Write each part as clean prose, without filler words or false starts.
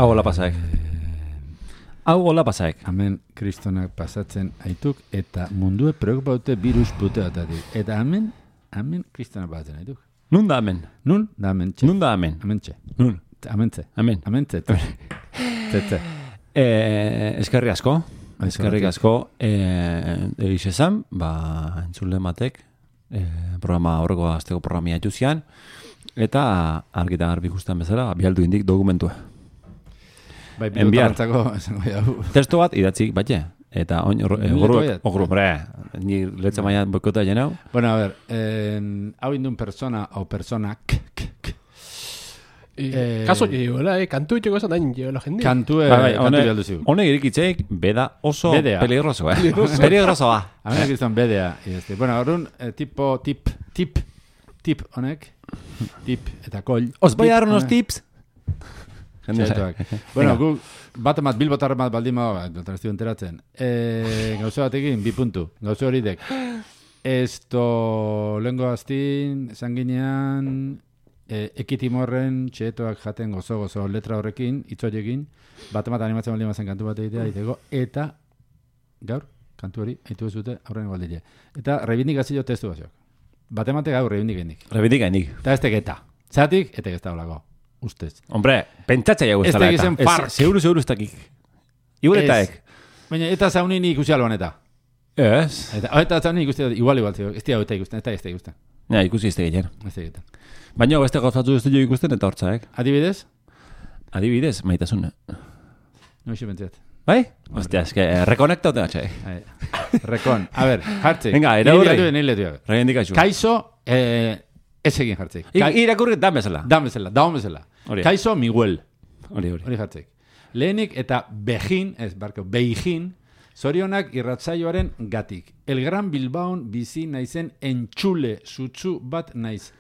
Hau hola pasaek. Hau hola pasaek. Hemen kristonak pasatzen aituk eta mundue preocupaute virus puteatatik. Eta hemen kristonak pasatzen aituk. Nun da hemen? Nun da hemen txe. Nun da hemen? Hemen txe. Nun? Hemen txe. Hemen. Hemen txe. Tze. Eskerri asko. Eskerrik asko. Egiz esan, entzule matek, programa horreko azteko programia etxuzian, eta argita garbi ikusten bezala, bialdu indik dokumentua. Bai, bilotartzako, testo bat idatzik, batxe. Eta ogru, ni letza maia boikota jenau. Bueno, a ver, hau indun persona o personak, kaso llegoela, kantu itxeko esan dain llegoela jende. Kantu bialdu zigu. Honek irikitzeik, beda oso peligroso, Peligrosoa. Hemen kriston bedea. Bueno, horren, tip honek, tip eta kol. Os voy a dar unos tips. Bueno, gu bat bilbotar bat baldin maga, ez enteratzen. Gauze batekin, 2 puntu. Gauze horidek. Lengo aztin, esan ginean, ekitimorren txetoak jaten gozo letra horrekin, itzoiekin, bat animatzen baldin mazen kantu bat egitea, iteko, eta gaur, kantu hori, haitu ez dute, aurren baldile. Eta reivindikazio testu baziok. Bat gaur reivindikainik. Eta ez tegeta. Zatik, eta ez da holako. Ustez. Hombre, pentsatza jau ez dala eta. Seguru ez dakik. Igualetaek. Baina, eta zaunin ikusi alban eta. Ez. Eta zaunin ikusi igual. Ez dira eta ikusten, eta ez da ikusten. Ja, ikusi ez da egiten. Ez da egiten. Baina, beste gauzatzu ez da ikusten eta hortzaek. Adibidez? Adibidez, maitasun. No eixo bentzat. Bai? Hostia, eske, rekonekta ote gatxai. Rekon. A ver, jartzik. Venga, eraurre. Reivindikazio. Kaizo, ez egin jartzik. Irakurri dan bezala. Daun bezala. Kaizo Miguel. Hori jartzik. Lehenik eta Beijin, zorionak irratzaioaren gatik. El Gran Bilbaon bizi naizen entxule sutsu bat naiz.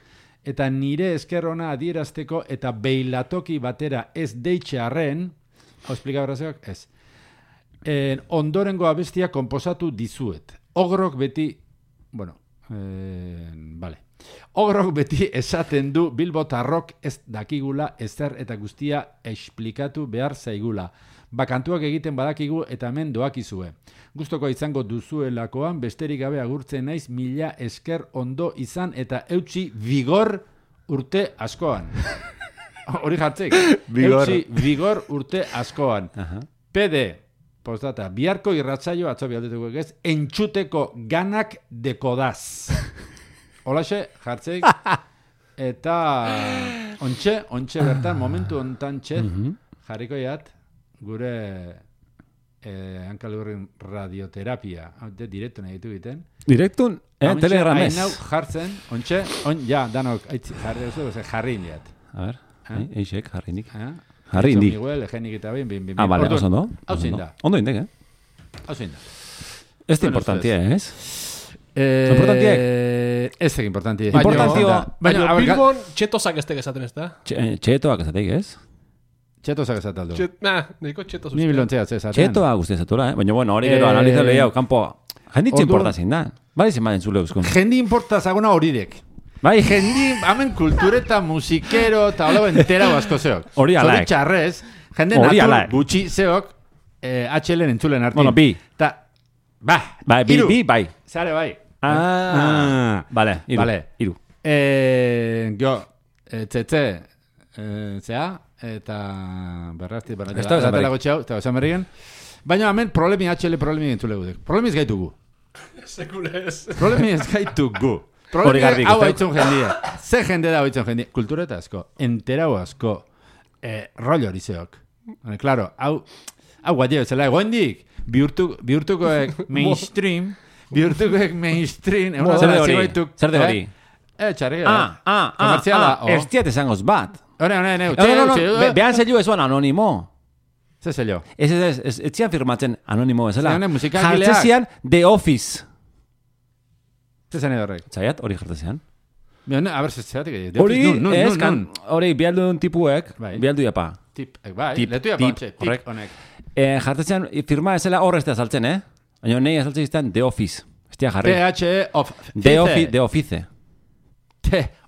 Eta nire eskerrona adierazteko eta beilatoki batera ez deitxearren, hau esplika brazeak, ez. Ondorengo abestia konposatu dizuet. Ogrok beti, Ogrok beti esaten du bilbotarrok ez dakigula ezer eta guztia esplikatu behar zaigula. Kantuak egiten badakigu eta hemen doakizue. Gustoko izango duzuelakoan besterik gabe agurtzen naiz, mila esker ondo izan eta eutxi vigor urte askoan. Hori jartzik. Eutxi vigor urte askoan. PD, postdata, biharko irratzaio atzo bialdetuko ez, entxuteko ganak dekodaz. Holaxe, jartzeik, eta ontxe bertan, momentu ontan txet, jarriko jat, gure hankalurren radioterapia, direktu nahi ditu egiten. Direktun? Telegramez. Hain hau jartzen, ontxe, danok, jarri indiat. A ver, eixek, jarri indik. Jarri indik. Miguel, egenik eta behin. Vale, oso ondo. Hau zein da. Ondo indek, Hau zein da. Ez da importantia, ez? Importantiek? Ez da importantiek. Baina, Bilbon, txetozak ez esaten ez da? Txetoak esateik, ez? Txetozak esaten aldo. Nahiko txetoz. Ni bilontzea esaten. Txetoa guzti esatula, baina bueno, hori gero analizale hau, kanpo Jenditzi importa zein da. Bai zen baden zule euskun. Jendi importa zaguna horidek. Bai, Jendi, hamen kultureta, musikero, eta hola entera asko zeok. Hori alaek. Zori txarrez, jende Hori natur alaek. gutxi zeok, HL-en entzulen hartin. Bueno, bi. Ta, Bai, iru. bai. Zare bai. Vale, iru. Vale. Iru. Gio, tzetze, zea, eta berrazti, Ez da esan berrik. eta esan berrigen. Baina hemen problemi HL problemi entzule gudek. Problemi ez gaitugu. Sekulez. Problemi ez gaitugu. Hori Problemi garbi hau ikusten. haitzun jendia. Ze jende da haitzun jendia. Kultureta asko, enterau asko, rollo hori zeok. Claro, hau guadio, zela egoendik, bihurtukoek mainstream, Zer de hori? Zer de hori? Txarri, Komertziala. Ez diat esangoz bat. No, behan zeilu ezuan anonimo. Ze zello? Ez zian firmatzen anonimo ezela. Ze honek musikagileak. Jartzezian The Office. Ze zen edo horrek? Zaiat, hori jartzezian. A ber, zeatik. Hori, ez, hori, bialdun tipuek, Bai. bialdu japa. Bai, Tip, letu tip, tip horrek. honek. Jartzezian, firma ezela hor ez da saltzen, Baina nahi azaltzen izan The Office. Ez dia jarri. PHE of The Office.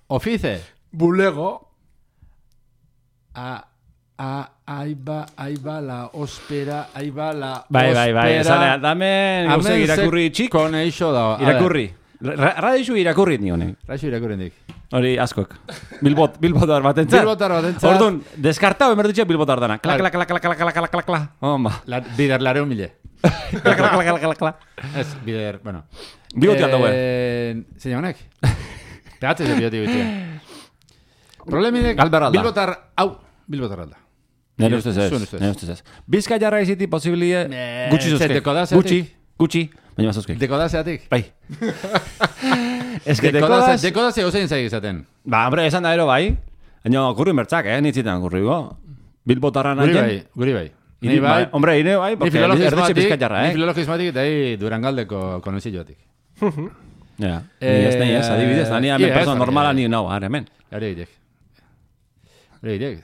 Ofice. Bulego. Ahí va la óspera, ahí va la Bai, óspera. esanea, dame guzek irakurri txik. Koneixo da. Irakurri. Radixu irakurri ni honek. Raixo irakurri dik. Hori askok. Bilbotar batentzat. Bilbotar batentzat. Orduan, deskartau emerdutxe bilbotar dana. Kla, kla, kla, kla, kla, kla, kla, kla, kla. Homba. Bider lareu mile. Kla, kla, kla, kla, kla. Ez, bider, bueno. Bigotian daue. Zein honek? Pegatzez de bioti bitien. Problemidek, Galberralda. Bilbotar alda. Nere ustez Zuen ez. ustez. Nere ustez ez. Bizka jarra iziti posibilie gutxi ze zozkek. dekodazeatik? Gutxi. Baina mazozkek. Dekodazeatik? Bai. Ez que dekodaz... Dekodazea gozein zaik izaten. Ba, hombre, esan da ero bai. Baina kurri mertzak, nitzitan kurri go. Bilbotarra nahi. Guri bai. Ni bai. Hombre, ine bai, porque erdetxe bizka jarra, Ni filologismatik eta Durangaldeko konoziotik. Ja, ni ez, adibidez, da ni hemen persona normala ni nau, ara hemen. Hori egitek.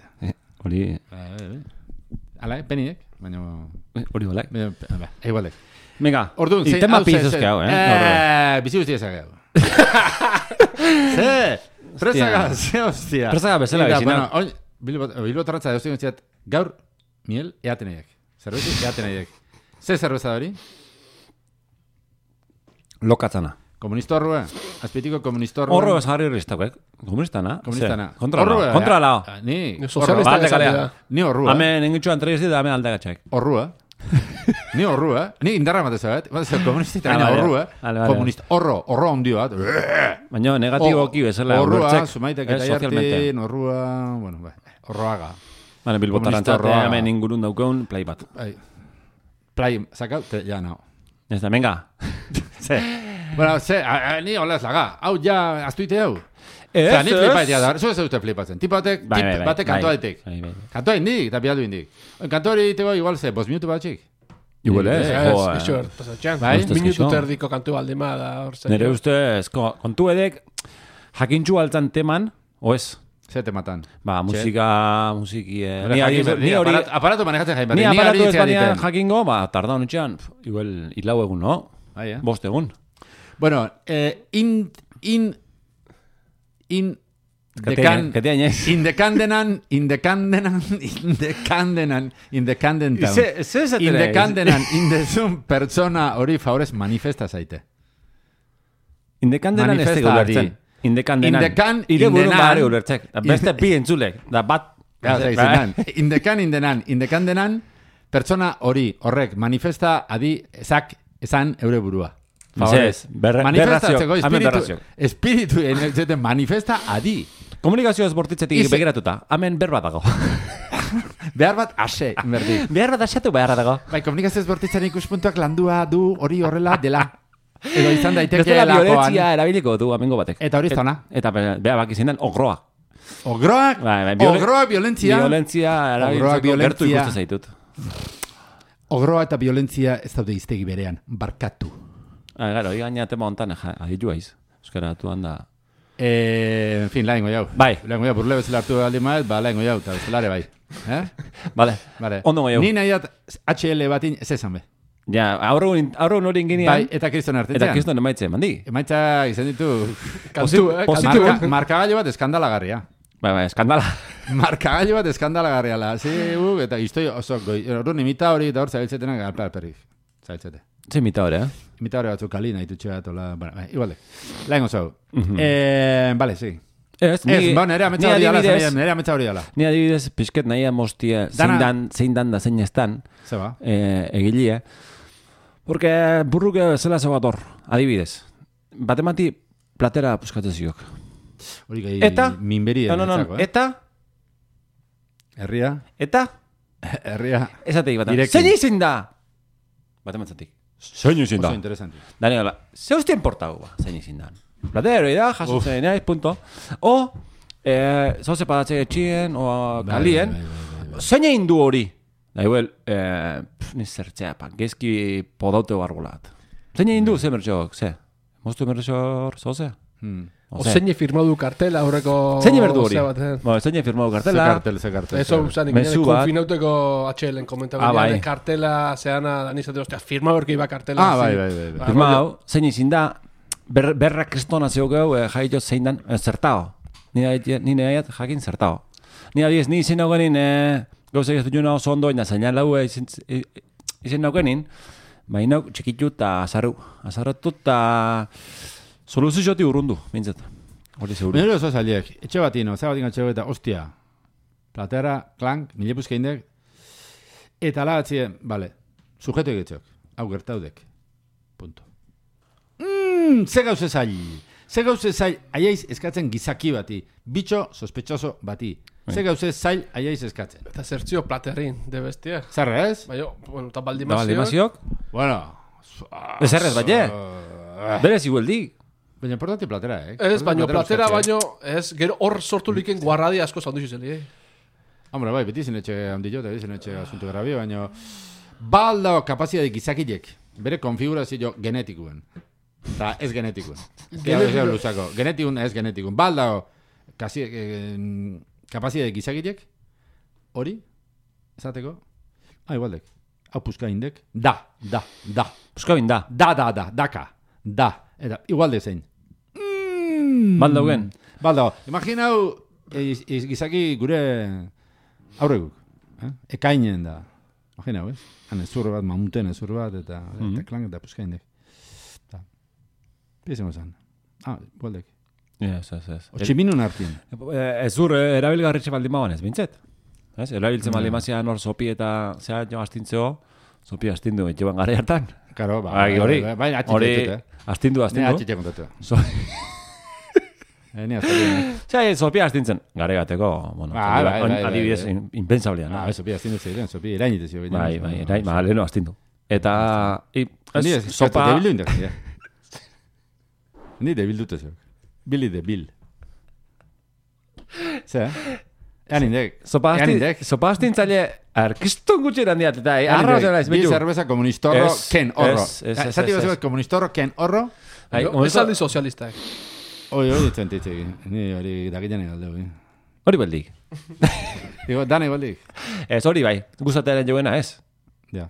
Hori... Ala, penidek, baina... Hori balak. Igualek. Venga, Orduan, tema pizuzke hau, Bizi guztia zake hau. Ze! Presaga, ze hostia. Presaga bezala bizina. Bilbotarratza eustik guztiat, gaur, miel, eaten nahiak. Zerbezi, eaten nahiak. Ze zerbeza hori? Lokatzana. Komunista horrua? Azpitiko komunista horrua? Horro ez jarri ristak, Komunistana. Komunistana. Kontra lao. Ni. Sozialista galea. Ni horrua. Hemen engitxuan treiz da, hemen aldagatxak. Horrua. Ni horrua. Ni indarra mateza bat. Komunista baina horrua. Komunista. Horro ondio bat. Baina negatiboki bezala. Horrua, sumaitek eta jartin, horrua, bueno, horroaga. Bale, bilbotarrantzat, hemen ingurun daukeun play bat. Play, sakau, ja, no. Ez da, venga. Ze. Bueno, ni hola ez laga. Hau ja, aztuite hau. Ez, ni flipaitea da, zu ez dute flipatzen. Tipo batek kantoa ditek. Kantoa indik, eta bialdu indik. Kantoa hori diteko igual ze, 5 minutu batxik. Igual ez, Ixo, pasatxan. Bai? Minutu terdiko kantu baldema da. Nere ustez, kontu edek, jakintxu altzan teman, oez? Ze tematan. Ba, musiki... Ni hori... Aparatu manejatzen jain Ni aparatu ez baina jakingo, ba, tarda honetxean, igual, hilau egun, no? Bost egun. Bueno, indezun pertsona hori favorez manifesta zaite. Indekandenan ez tegu ulertzen. Indekandenan. Ire burun bari ulertzek. Beste bi entzulek. Da bat. Indekandenan pertsona hori horrek manifesta adi ezak esan eure burua. Ez, manifestatzeko espiritu manifesta adi. Komunikazio ezbortitzetik begiratuta. Hemen berba dago. Behar bat ase, inberdi. Behar bat asatu behar dago. Bai, komunikazio ezbortitzen ikuspuntuak landua du hori horrela dela. Edo izan daiteke lakoan. Bestela violentzia erabiliko du amengo batek. Eta hori ez tona. Eta behar bak izan den ogroa. Ogroak? Ogroa violentzia? Violentzia erabiltzeko gertu ikustu zaitut. Ogroa eta violentzia ez daude iztegi berean. Barkatu. Gero, gaina tema hontan aditu aiz. Euskara atu handa... En fin, lahengo jau. Bai. Lahengo jau, burle bezala hartu aldi maez, ba, lahengo jau, eta bezalare bai. Vale. Ondo jau. Ni nahi dat HL batin ez esan be. Ja, aurregun hori inginean. Bai, eta kriston artean. Eta kriston emaitze, mandi. Emaitza izan ditu... Kantu, Markagailu bat eskandalagarria. Bai, eskandala. Markagailu bat eskandalagarria la. Eta iztoi oso goi. Orduan imita hori eta hor zabiltzetenak alperrik. Zabiltzete. Ze imita hori, Imita hori batzuk kalina itutxe bat, ola... Bueno, igualde. Lain oso. Vale, sí. Nere ametza hori dala. Ni adibidez, pixket nahi amostia zein dan da zein estan. Zeba. Egilie. Porque burruke zela zegoator, adibidez. Batemati platera puskatzen ziok. Hori gai eta minberi no. Eta herria. Eta herria. Esateik bat. Zein izin da? Batematzatik. Zein izin da? Oso interesante. Daniela, ze hostia importa ba, zein izin da? Platero da, jasotzen naiz, punto. O zoze padatze etxien o kalien. Zein egin du hori? Da igual, ni zertzea, gezki podaute bargulat. Zein egin du, ze mertxok, ze? Moztu mertxok, zoze? O zein firmadu kartela aurreko... Zein berdu hori? Zein firmadu kartela? Ze kartel. Eso, zanik, konfinauteko atxelen komentako. Kartela, zeana, danizate, ostia, firmadu erki iba kartela. Bai. Firmadu, zein izin da, berra kristona zeugeu, jaito zein dan, zertao. Ni nahiat jakin zertao. Ni adiez, ni izin naugenin, gauzak ez dut oso ondo, ina zainan lau izin naugenin, baina txikitu eta azarratu eta soluzio joti urrundu, bintzat. Hori seguru. Nero oso zaliek, etxe batino, zabatik etxe bat, ostia, platera, klank, milepuzke indek, eta alabatzien, bale, sujeto egitzok, hau gertaudek, punto. Ze gauze zail, aiaiz eskatzen gizaki bati, bitxo sospechoso bati. Ze gauze zail, aiaiz eskatzen. Eta zertzio platerin, de bestia. Zerre ez? Baina, bueno, eta baldimaziok. Bueno. Zerrez, baina. Berez igualdik. Baina importante platera, Ez, baina platera, baina, ez, gero hor sortu liken guarradi asko zandu zizeli, Hombre, bai, beti zinetxe handillo, eta beti zinetxe asuntu grabio, baina baldao kapazidade gizakilek, bere konfigurazio genetikuen. Eta ez genetikuen. Genetikun ez genetikun. Baldao kapazidade gizakilek, hori, esateko, igualdek, hau puska indek, da. Puska bin da. Daka, eta igualde zein. Baldau gen. Baldao, imaginau gizaki gure aurreguk. Ekainen da. Imaginau, Han ezurre bat, mamuten ezurre bat, eta klang eta puska indek. Piezemo zan. Igualdek. Ez. Otximinun hartin. Ezur erabilgarritxe baldin bauan ez, bintzet? Erabiltzen baldin mazian hor sopi eta zea jo astintzeo, sopi astindu etxeban gare hartan. Karo, hori astindu. Ne atxite kontatu. Ni azalien. Sopi astintzen gare gateko, bueno, adibidez impensablia. Sopi astindu zeiren, sopi erainitezio. Bai, leheno astindu. Eta sopa... Debildu indak, Ni debildute zeu. Billy de Bill. Zer? Sopa astintzaile arkistun gutxeran diat, eta arra zela ez betu. Bi cerveza komunistorro ken horro. Zati bat komunistorro ken horro. Ez aldi sozialistak. Hori txentitzik. Ni hori dakitzen egaldeu. Hori beldik. Digo, dana igualdik. Ez hori bai, gustatearen joena ez. Ja.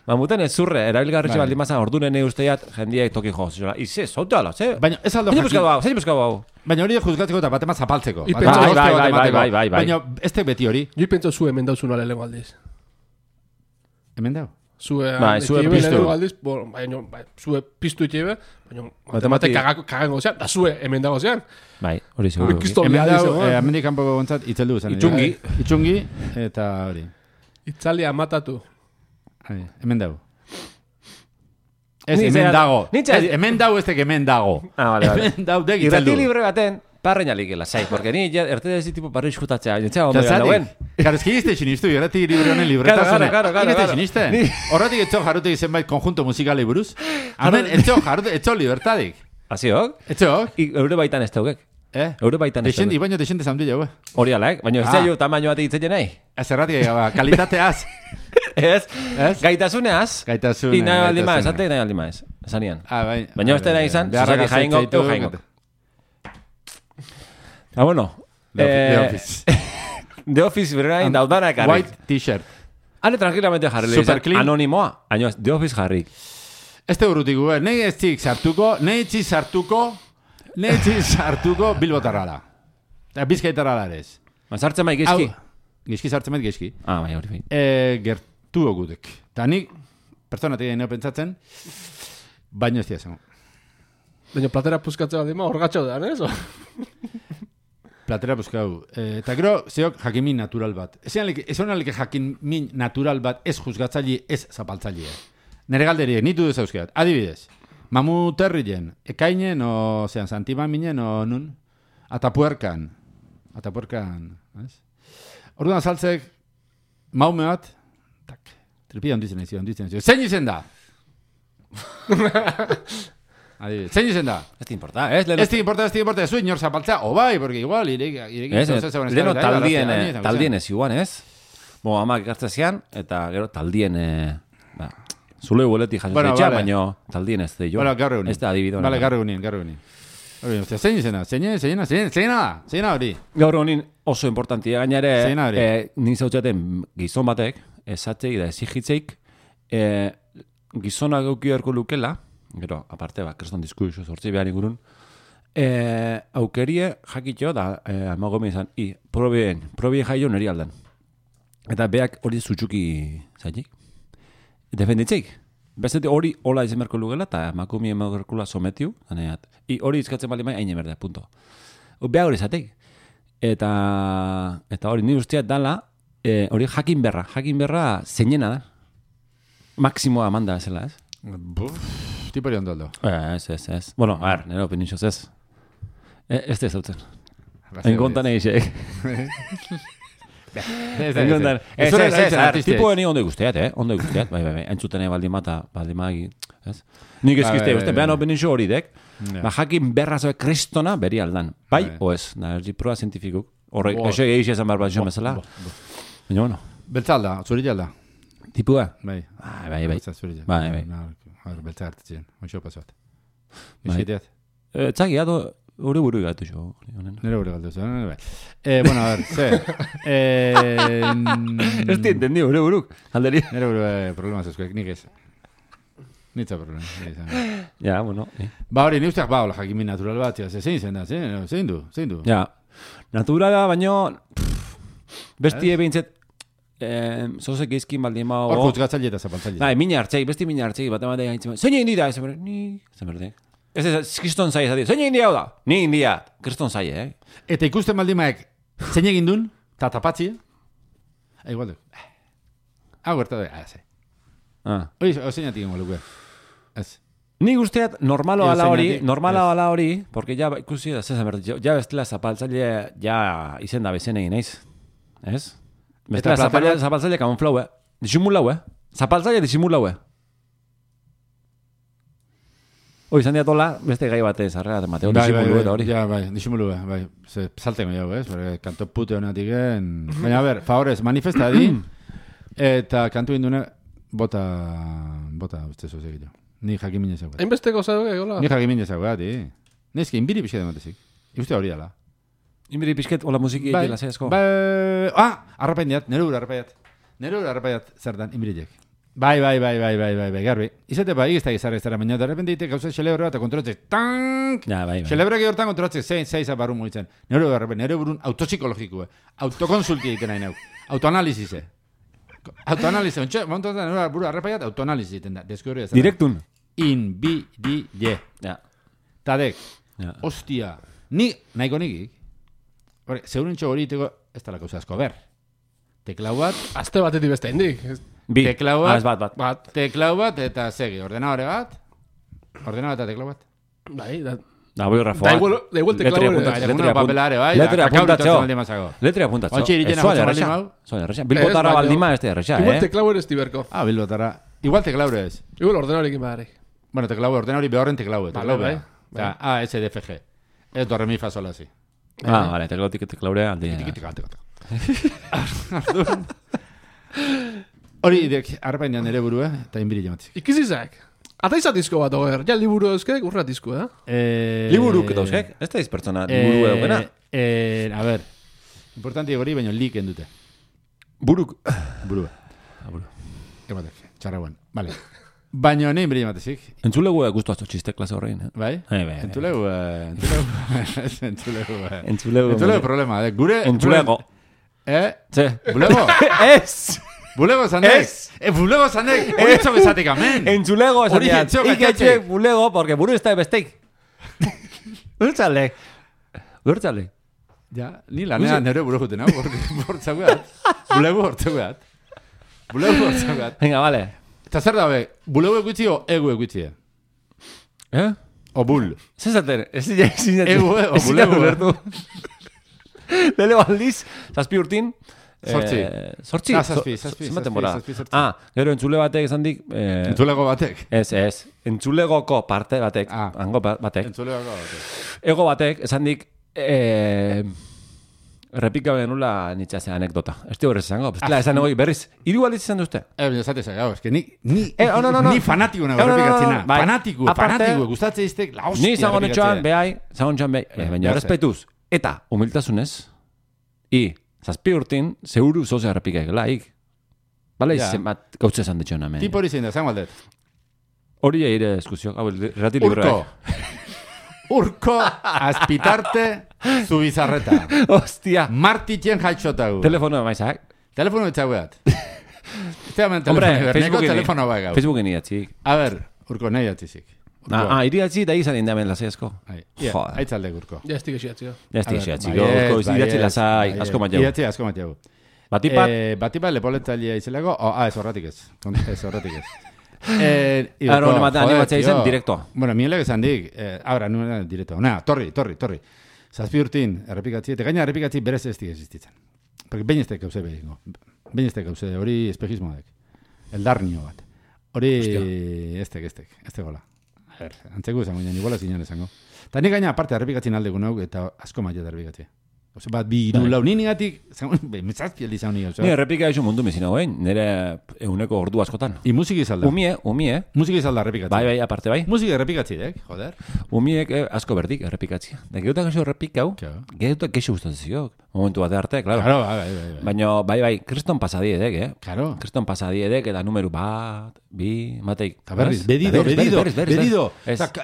Mamuten ez zurre, erabilgarritxe baldin mazan ordunen usteiat jendiek toki joz. Ize, zote ala, ze? Baina ez aldo zein buskau hau. Baina hori juzgatzeko eta batema zapaltzeko. Bai. Baina ez te beti hori. Jo pentso zu hemen dauzun ale lengo aldiz. Hemen dau? Zue piztu itxebe, baina matemate kagango zean, da zue hemen dago zean. Bai, hori seguru. Hemen dau, hemendik kanpoko gontzat, itzeldu zen. Itxungi, eta hori. Itzalia matatu. Hemen dago. Ez, hemen dago. Hemen dago ez teke hemen dago. Hemen dago dek itzeldu. Irrati libre baten, parreina likela, zai, porque ni erte dezi tipo parri eskutatzea. Nintzea ondo joan dauen. Karo, eski izte xinistu, irrati libre honen libretasune. Claro. Izte xiniste. Horretik etxo jarrutek zenbait konjunto musikalei buruz. Hemen etxo jarrutek, etxo libertadik. Haziok? Etxok? Eure baitan ez daugek. Eure baitan ez daugek. Baina desente zamdu jau, Hori alaik, baina ez zailo tamaino bat egiten nahi. Ez erratik egaba, kalitateaz. Ez? Gaitasuneaz. Gaitasuneaz. I nahi aldi maez, ante nahi aldi maez. Zanian. Bai. Baina ez nahi izan, zuzaki jaingo, eu jaingo. Bueno. The Office. The Office, berain, daudana ekarrik. White t-shirt. Hane tranquilamente jarri. Anonimoa. Aino, The Office jarri. Ez te urrutik, nahi ez txik sartuko bilbotarrala. Bizkaitarrala ere ez. Sartzen bai gezki? Gezki sartzen bai gezki. Bai, hori bai. Gertu ogudek. Ta nik, personatik egin pentsatzen, baino ez diazango. Baina platera puzkatzea dima, orgatxo da, ez? Platera puzkau. Eta gero, zeok jakimin natural bat. Ez honalik jakimin natural bat ez juzgatzaile, ez zapaltzaile. Nere galderiek, nitu duz euskeat. Adibidez, mamuterrien, ekainen, o zean, santimaminen, o nun? Atapuerkan, ez? Orduan saltzek, maume bat, tak, tripia onditzen ezio. Zein izen da? Zein izen da? Ez te importa, ez? Ez te importa, zuen nor zapaltzea, o bai, porque igual, leno taldien ez iguan, ez? Bo, amak ikartzezian, eta gero taldien, zule hueleti jasotzeitxa, baina taldien ez da jo. Ez da adibidona. Bale, garru gunin. Zein izena? Zein hori? Gaur honin oso importantia gainare, nik zautzaten gizon batek, esatzei da ezigitzeik, gizona gauki erko lukela, gero, aparte, kreston diskurso sortzi behar ingurun, aukerie jakitxo da, amagomi izan, probien jaio neri aldan. Eta beak hori zutxuki zaitik. Defenditzeik. Beste hori hola izan berko lugela, eta emakumia emakurkula sometiu, zaneat. Hori izkatzen bali mai, haine berde, punto. Beha hori zateik. Eta hori nire usteat dala, hori jakin berra zeinena da. Maksimoa manda zela, ez? Tipori ondo aldo. Ez. Bueno, a ver, nire opinitxoz ez. Ez da zautzen. Enkontan egizek. Tipo ni ondo guztiat, ondo guztiat, bai, entzuten baldimata, ez? Nik eskizte, behan opinitxo hori dek, jakin berra zoe kristona beri aldan, bai o ez, erdi proa zientifikuk, horrek, eso egizia zan barba jo mesela, baina bueno. Beltzalda, zuri jalda? Tipua? Bai. Bai. Beltza hartitzen, oixo pasuat. Eskiteat? Txagiat, hori buru gatu jo. Nere buru gatu zo, bueno, a ver, ze. Ez ti entendi, hori buruk, alderi. Nere buru problemaz eskuek, nik ez. Nitza problema. Ja, bueno. Ba hori, ni usteak hola jakimin natural bat, zein zen da, zein du? Ja, naturala, baino, bestie behintzet, zozek izkin baldin ma... Hor juzgatzaile eta zapaltzaile. Bai, mina hartzei, besti mina hartzei, bat ematea gaitzen, zein egin dira, zein berde. Ez, kriston zai ez zein egin dira hau da? Ni egin dira, kriston zai, Eta ikusten baldin maek, zein egin duen, eta tapatzi, igual du. Hau gerta da, ze. Hori, zein atik ingo luke. Ez. Ni guztiat normalo ala hori, porque ja ikusi da, zezen berde, ja bestela zapaltzaile, ja izen da bezen egin eiz. Ez? Bestela zapaltzaile kamuflau, disimulau, zapaltzaile disimulau, izan diatola, beste gai batez, arrela, Mateo, disimulu eta hori. Ja, bai, disimulu, bai. Saltengo jau, Porque kanto pute honatik Baina, a ver, favorez, manifesta di, eta kantu indune, bota, uste zozek jo. Ni jakimine zaugat. Hainbesteko zaugat, hola? Ni jakimine zaugat, Nezki, inbiri pixket ematezik. Uste hori ala. Inbiri pixket, hola musiki egila zeazko. Arrapaindiat, nero arrapaiat zertan, inbirilek. Bai, garbi. Izate ba, igizta gizarra ez dara, baina da repente ite gauza xelebre bat kontrolatzek, tank! Ja, bai. Xelebre hortan kontrolatzek, zein zabarru mugitzen. Nero burun autopsikologikoa, autokonsulti egiten nahi neu, autoanalizize. Autoanalize, montotan nero buru arrapaiat, autoanalize egiten da, deskurri ez. Direktun. Inbirille. Ja. Tadek, ostia, nahiko nikik, zeurentxo hori iteko, ez da la kauza asko, ber. Teklau bat... Azte batetik beste indik. Teklau bat. Teklau bat eta segi. Ordenadore bat. Ordenadore eta teklau bat. Bai, da... Da, boi rafoa. Da igual teklau bat. Letria papelare, bai. Letria apuntatxo. Ontsi iriten hau txabaldi Bilbotara baldima ez da erresa, Igual teklau eres tiberko. Bilbotara. Igual teklau eres. Igual ordenadorekin badari. Bueno, teklau, ordenadori behorren teklau. Bai. ASDFG. Ez do remi fa sola, si. Vale, teklaurea aldi. Hori idek, arpainean ere burua, eta inbiri jamatzik. Ikizizak. Ata izatizko bat, oger. Ja, liburu euskek, urratizko, Liburuk eta euskek? Ez da izpertsona liburu edo a ver, importanti gori, baina lik endute. Burua. aburu. Ematek, txarragoan, vale. Baina nein beri ematezik. Entzulegu gustu asto txiste klase horrein, Bai? Bai. Entzulegu problema, gure... Entzulego. Ze? Bulego? Ez! Bulego zanek? Bulego zanek? Hori txok esatik amen! Entzulego esatik. Iketxek bulego, porque buru ez da besteik. Urtzale. Ja, ni lanean nire buru juten, bortzagoat. Bulego bortzagoat. Venga, vale. Eta zer dabe, bulego egutzi o egu egutzi? O bul? Zezaten, egu o bulego. Lele aldiz, zazpi urtin. Sortzi? Zazpi. Gero entzule batek esan dik... Entzulego batek? Ez. Entzulegoko parte batek. Hango batek. Entzulegoko batek. Ego batek esan dik... Repika benula nitxase anekdota. Ez di horrez esango. Bestela esan egoi berriz. Hiru aldiz esan duzte. Esate zagau, eske ni fanatiko nago repikatzena. Fanatiko, gustatze iztek la hostia. Ni zango netxoan, behai. Baina respetuz. Eta, humiltasunez. Zazpi urtin, zeuru zozea repikaik laik. Bala izan bat gautze esan ditxon hemen. Tipo hori zein da, zango aldet. Hori eire eskuziok. Rati libroa. Urko, azpitarte, zubizarreta. Hostia. Martitien jaitxotagu. Telefono maizak. Telefono etxaguat. Telefono baigau. Facebooken idatzik. A ver, Urko, nahi datzizik. Iriatzi da izan indamen lasai asko. Aitzalde, Urko. Ja estik esiatzio. Urko, idatzi lasai, asko mat jau. Idatzi asko mat jau. Batipat lepoletzailea izelako, ez horretik ez. Aro, animatzea izen, direktoa. Bueno, mielek esan dik, abra, nuen direktoa. Torri. Zazpi urtin, errepikatzi, eta gaina errepikatzi berez ez dik existitzen. Porque behin ez tek gauze behingo. Behin ez tek gauze, hori espejismo dek. Eldarnio bat. Hori ez tek gola. A ver, antzeko esango, iguala zinean esango. Ta nik gaina aparte errepikatzin alde gunau, eta asko maia errepikatzi. Ose bat, bi iru lau ninigatik, metzazpi aldi zaun nio. Ni errepika esu mundu mezina goen, nire euneko ordu askotan. I musiki izalda. Umie. Musiki izalda errepikatzi. Bai, aparte bai. Musiki errepikatzi dek, joder. Umiek asko berdik errepikatzi. Da geutak eso errepikau, geutak kexu gustatzezioak. Momentu bat arte, claro. Claro, baina, bai, kriston pasadi edek, Claro. Kriston pasadi edek, eta numeru bat, bi, mateik. Ta berriz, bedido.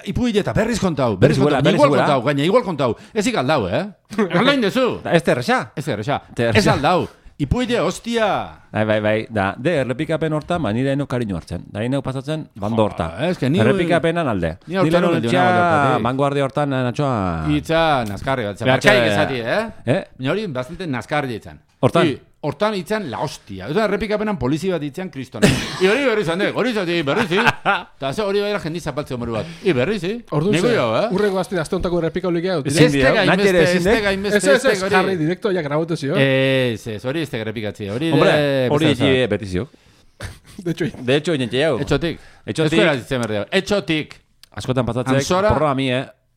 Ipu hileta, berriz kontau, igual kontau. Ez ikaldau, Erlain dezu. Ez terresa. Ez aldau. Ipuide, hostia. Bai. De errepikapen hortan, nire eno kariño hartzen. Da ino pasatzen, bando horta. Errepikapenan alde. Nire hortan vanguardia hortan, natxoa... Itza, nazkarri bat. Bertxaik ezati, Nire hori bastante nazkarri ditzen. Hortan itzan la hostia. Ez da errepikapenan polizi bat itzan kristona. I hori berri zandek, hori zati, berri zi. Ta ze hori baira jendi zapaltze homoru bat. I berri zi. Ordu ze, urrengo azte hontako errepika holik eau. Ez jarri direkto ja grabatu zio. Ez, hori ez errepikatzi. Hori beti zio. De hecho, inentxe jau. Etxotik. Askotan pasatzek, porroa mi,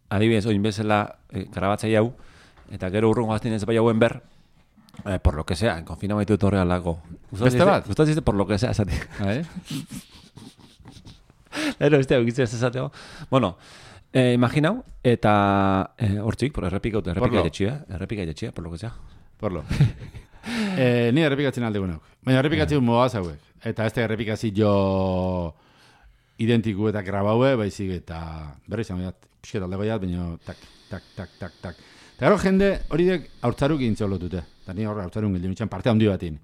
adibidez, oin bezala grabatzei hau, eta gero urrengo azten ez bai hauen ber, por lo que sea, en confinamiento de horrean lago. Beste bat? Gustatzen por lo que sea, esate. Lero, ez esateo. Bueno, imaginau, eta hortzik, por errepika etxia, por lo que sea. Porlo. Ni errepikatzen alde guneuk. Baina errepikatzen moaz hauek. Eta ez errepikazio jo identiku eta grabaue, baizik eta berri izan behar, pixket aldego jat, baina tak. Eta gero jende hori dek haurtzaruk egin zeolotute. Eta ni horre haurtzaruk egin nintzen parte handi batin.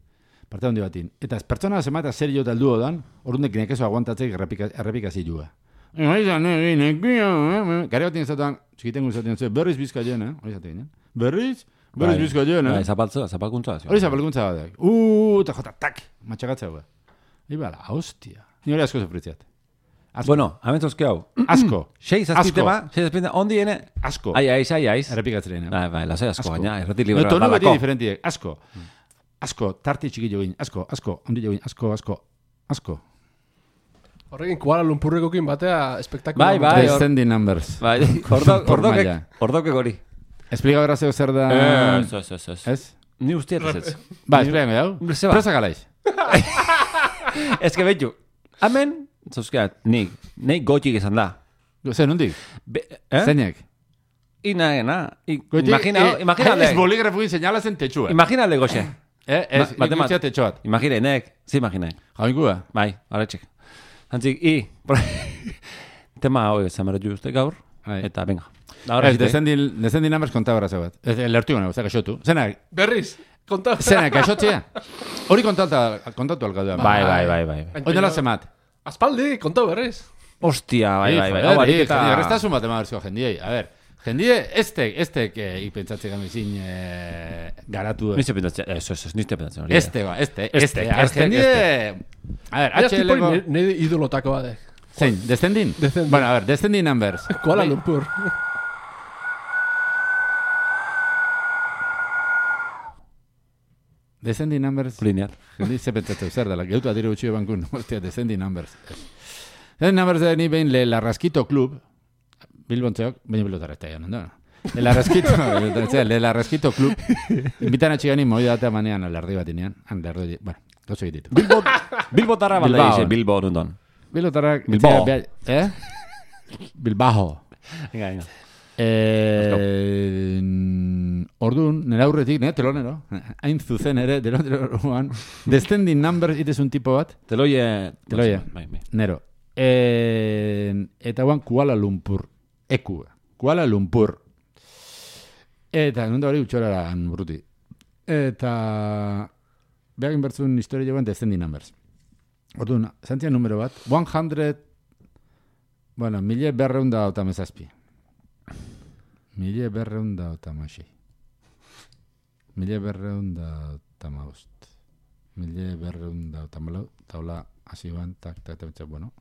Eta ez pertsona zema eta zer jo taldu odan, ordunek nekezo aguantatzek errepikazioa. Gare batin ezaten, txikitengu ezaten, berriz bizkaien, hori ezaten, berriz bizkaien, zapalkuntza. Hori zapalkuntza batek. Eta jota, tak, matxakatzea hua. Ibala, hostia. Ni hori asko zefritziat. Bueno, abentzozke hau. Asko. 6 azpitema, ondi ene. Asko. Aiz. Errepikatzeren. Bai, lasai asko, baina, erreti libera. No, tonu beti diferentiek. Asko, tarti txiki joguin. Asko, ondi joguin. Asko. Horrekin Kuala Lumpurrekokin batea espektakulo. Bai. Descending numbers. Bai, ordokek hori. Esplika berra zeo zer da... Ez? Ni ustiet ez. Ba, esplika jau. Presa galaiz. Ez que betu. Amen... Zauzkeat, nik gotxik izan da. Zer, nondik? Zeinek? Imagina... Ez boligrafugin señalazen techua. Imagina alde goxe. Ez, ikusiat etxoat. Imaginenek, zi imaginek. Jaingua? Bai, arretxek. Antzik, tema hoi zameratu uste gaur, eta venga. Ez, descending numbers kontabara zaubat. Lertu gana, kaixotu. Zenak? Berriz, kontatu. Zenak, kaixotzea? Hori kontatu alkaduan. Bai. Hori dela zemat? Aspaldi, kontatu berriz. Hostia, bai. Errestasun bat emaberzio jendiei. A ver, jendie, estek ipentsatzen gamizin garatu. Niste pentsatzen, niste pentsatzen. Este. Jendie... A ver, HL-ko... Nire idolotako badek. Zein, descending? Bueno, a ver, descending numbers. Kuala Lumpur. Descending numbers... Linear. Jendi ze pentsatzen zer dela, geutu adiru utxio bankun. Hostia, descending numbers. Descending numbers da ni behin Le Larrasquito Club, Bilbontzeok, baina bilotara ez da egan, no? Le Larrasquito Club, invitan a txigani moi datea manean alardi bat inean. Bueno, gozo egititu. Bilbotarra balda ize, Bilbo nundon. Bilbotarra... Bilbao. Bilbao. Venga. Orduan, nera aurretik, telonero, hain zuzen ere, teloneroan, descending numbers itezun tipo bat. Teloie. Nero. Eta guan Kuala Lumpur. Kuala Lumpur. Eta nunda hori utxoraran burruti. Eta behagin bertzun historia joan descending numbers. Orduan, zantzia numero bat, 100, bueno, 1287. 1286. 1285. 1284. Taula hasi ban, tak, bueno.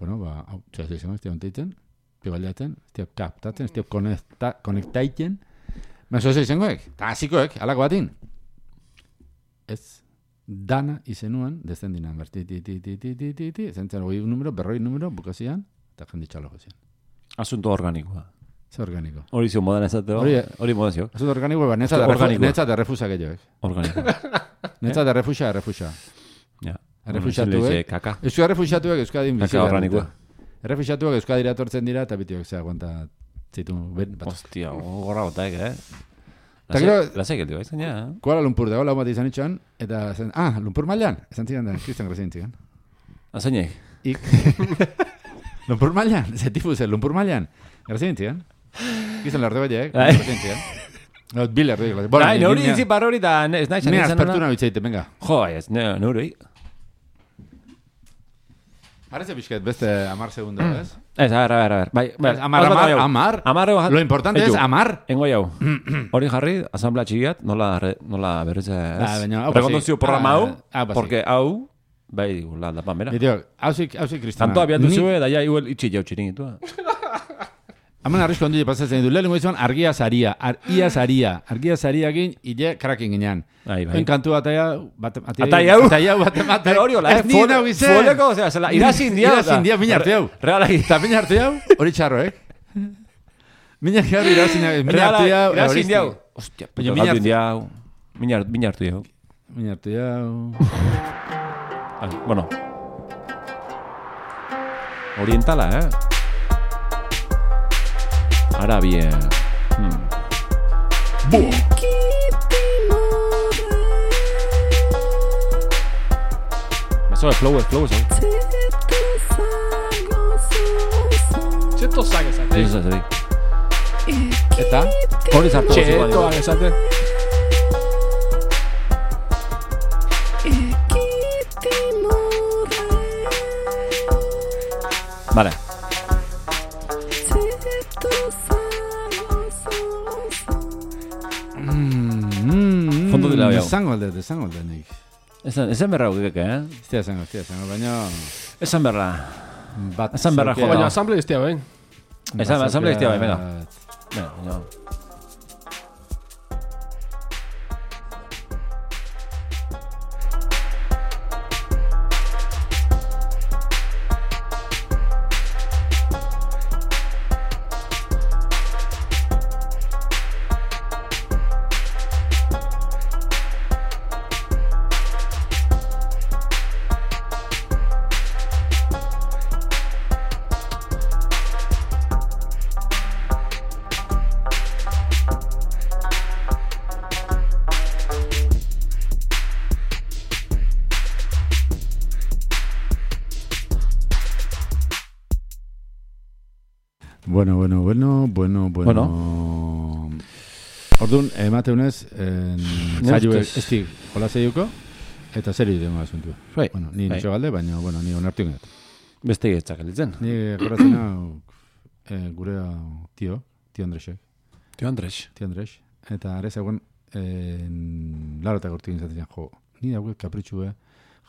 Bueno, hau, txas izango, ez teitzen, pibaliatzen, ez kaptatzen, ez konektaiten. Meso ez izangoek, eta hasikoek, alako batin. Ez, dana izenuan, descending number, zentzen hori numero, berroi numero, bukazian, eta jenditxalo gozian. Asunto organikoa. Zer organiko? Hori zio modan ezateo. Hori modan zio. Asunto organiko, netza de refusa gehiagoek. Organiko. Netza de refusa. Ja. Errefuxatuek. Kaka. Euskal errefuxatuek Euskadin bizi. Kaka organikoa. Errefuxatuek Euskadira etortzen dira, eta bitiok ze aguanta zitu. Hostia, gorra botaek, Lasek el dio, izan ja. Kuala Lumpur dago lau bat izan itxoan, eta zen, Lumpur mailan? Esan ziren da, Cristian Grazien ziren. Azainek? Lumpur mailan? Zetifu zen, Lumpur mailan? Grazien ziren? Gizan larte baiek, Grazien ziren. No, Biller, nori izi parrori da, ez nahi zan. Nea aspertuna bitzeite, venga. Jo, ez, nori. Parece pixket, beste 10 segundo, ez? Ez, a ver. Amar. Lo importante es amar. Engo jau. Hori jarri, asamblea txigiat, nola berretze, ez? Rekonduzio programa hau, porque hau, bai, la pamera. Hauzik, Kristina. Tanto abiatu zue, da ja igual itxi jau txiringitua. Hemen arrizko handu pasatzen du. Lehenengo izan, argia zaria. Argia zaria gin, ide kraken ginean. Enkantu atai hau, bat ematen. Pero hori hola, foleko, o sea, irazin dia. Mina arte hau. Eta mina arte hau, hori txarro, Mina arte hau, irazin dia hau. Hostia, mina arte hau. Bueno. Orientala, Ahora bien. Me soy flow, Txeto zagezate. Eta? Hori zartu. Txeto zagezate. Vale. Fondo de la veo. Esango alde nik. Esan berra gukeke, Estia esango, baina... Esan berra. Esan berra, jo. Baina asamble iztia, Asamble iztia, venga. Venga, Bueno. Orduan, emateunez, zailu estik hola zeiuko, eta zer idemo asuntu. Bueno, ni nitxo galde, baina, ni onartu ingat. Beste egitzak elitzen. Ni goratzen hau, gure tio Andresek. Tio Andres. Eta arez egon, larota gortik inzatzen, ni dago kapritxu,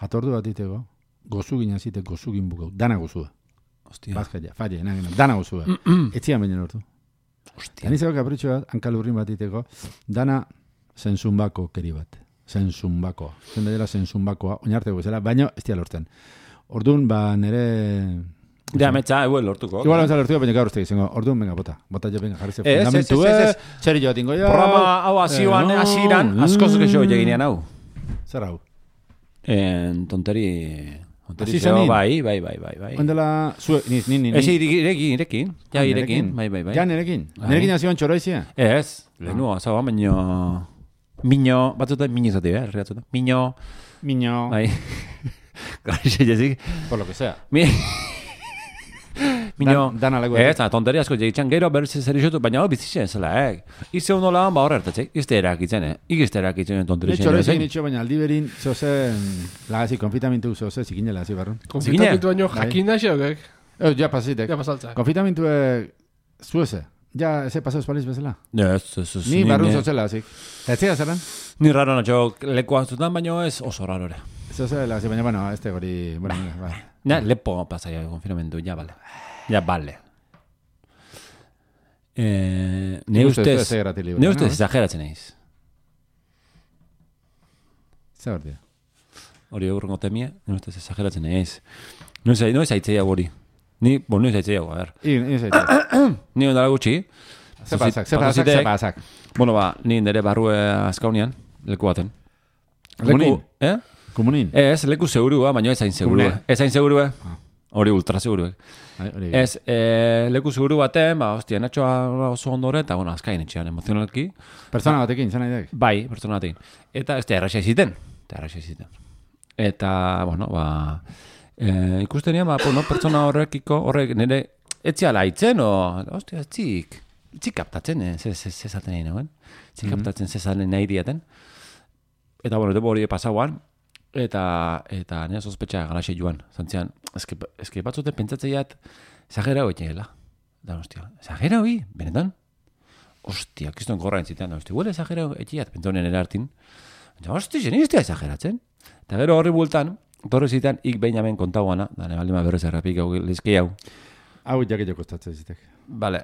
jatordu bat ditego, gozu ginazite, gozu ginbukau, dana gozua. Hostia. Bazkaia, falle, dana gozua. Etzian baina lortu. Hostia. Anizeko kapritxu bat, hankalurrin bat diteko, dana zensunbako keri bat. Zensunbakoa. Zen dela zensunbakoa, oinarteko bezala, baina ez dia lortzen. Orduan, nere... Ja, metxa, lortuko. Igual metxa lortuko, baina gaur uste izango. Orduan, venga, bota. Bota jo, venga, jarri ze fundamentu, zer jo atingo, ja. Programa hau azioan, aziran, askoz gexo eginean hau. Zer hau? Tonteri zeo, bai. Ondela, ni. Ez, irekin. Ja, irekin, bai. Ja, nirekin. Nirekin azioan txoroizia? Ez, lehenua, zau, baina... Miño, batzuta, miño izate, herriatzuta. Miño. Bai. Garixe jezik. Por lo que sea. Miño. Dan alego. Ez, tonteria asko jegitzen gero, berriz zer izotu, baina hau bizitzen zela, Ize hono lan, horre hartatzek, izte erakitzen, Igizte erakitzen tonteria zen. Nitxo nitxo, baina aldiberin, zoze, lagazi, konfitamentu zoze, zikinela, hazi barron. Konfitamentu baino jakin da xeokek. Ja pasazitek. Ja pasaltza. Konfitamentu zueze. Ja, eze pasau espaliz bezala? Ez. Ni barrun zotzela, zik. Etzia zeran? Ni raro natxo lekoa zutan, baina ez oso rarore. Zozela, zik, baina, este gori, bai. Ja, lepo pasaia konfinamentu, ja, bale. Ne ustez exageratzen eiz. Zer hor dira? Hori eurrengo temia, ne ustez exageratzen eiz. No ez aitzea hori. Ni, no ez aitzea, a ver. Ni ondala gutxi. Ze pasak. Bueno, ni nire barrue azkaunian, leku baten. Komunin? Komunin? Ez, leku segurua, baina ez hain segurua. Ez hain segurua. Hori ultra seguruek. Ez, leku seguru baten, hostia, natxoa oso ondore, eta, azkain etxean, emozionalki. Persona batekin, zan nahi dek? Bai, persona batekin. Eta, ez da, erraxa iziten. Eta, ikusten nian, pertsona horrek nire etziala haitzen, hostia, etzik kaptatzen, zezaten nahi nagoen. Etzik kaptatzen zezaten nahi diaten. Eta, debo hori pasauan, eta nire sospetxa garaxe joan. Zantzian, eske batzuten pentsatzeiat, exagera hoi egela. Da, hostia, exagera hoi, benetan? Hostia, kiston gorra entzitean, hostia, huele exagera hoi egeiat, pentsonen erartin. Hostia, zeniztea exageratzen. Eta gero horri bultan, torre zitan, ik behin hemen kontauana, da nebaldima berrez errapik hau lizki hau. Hau jaketio kostatzen zitek. Bale,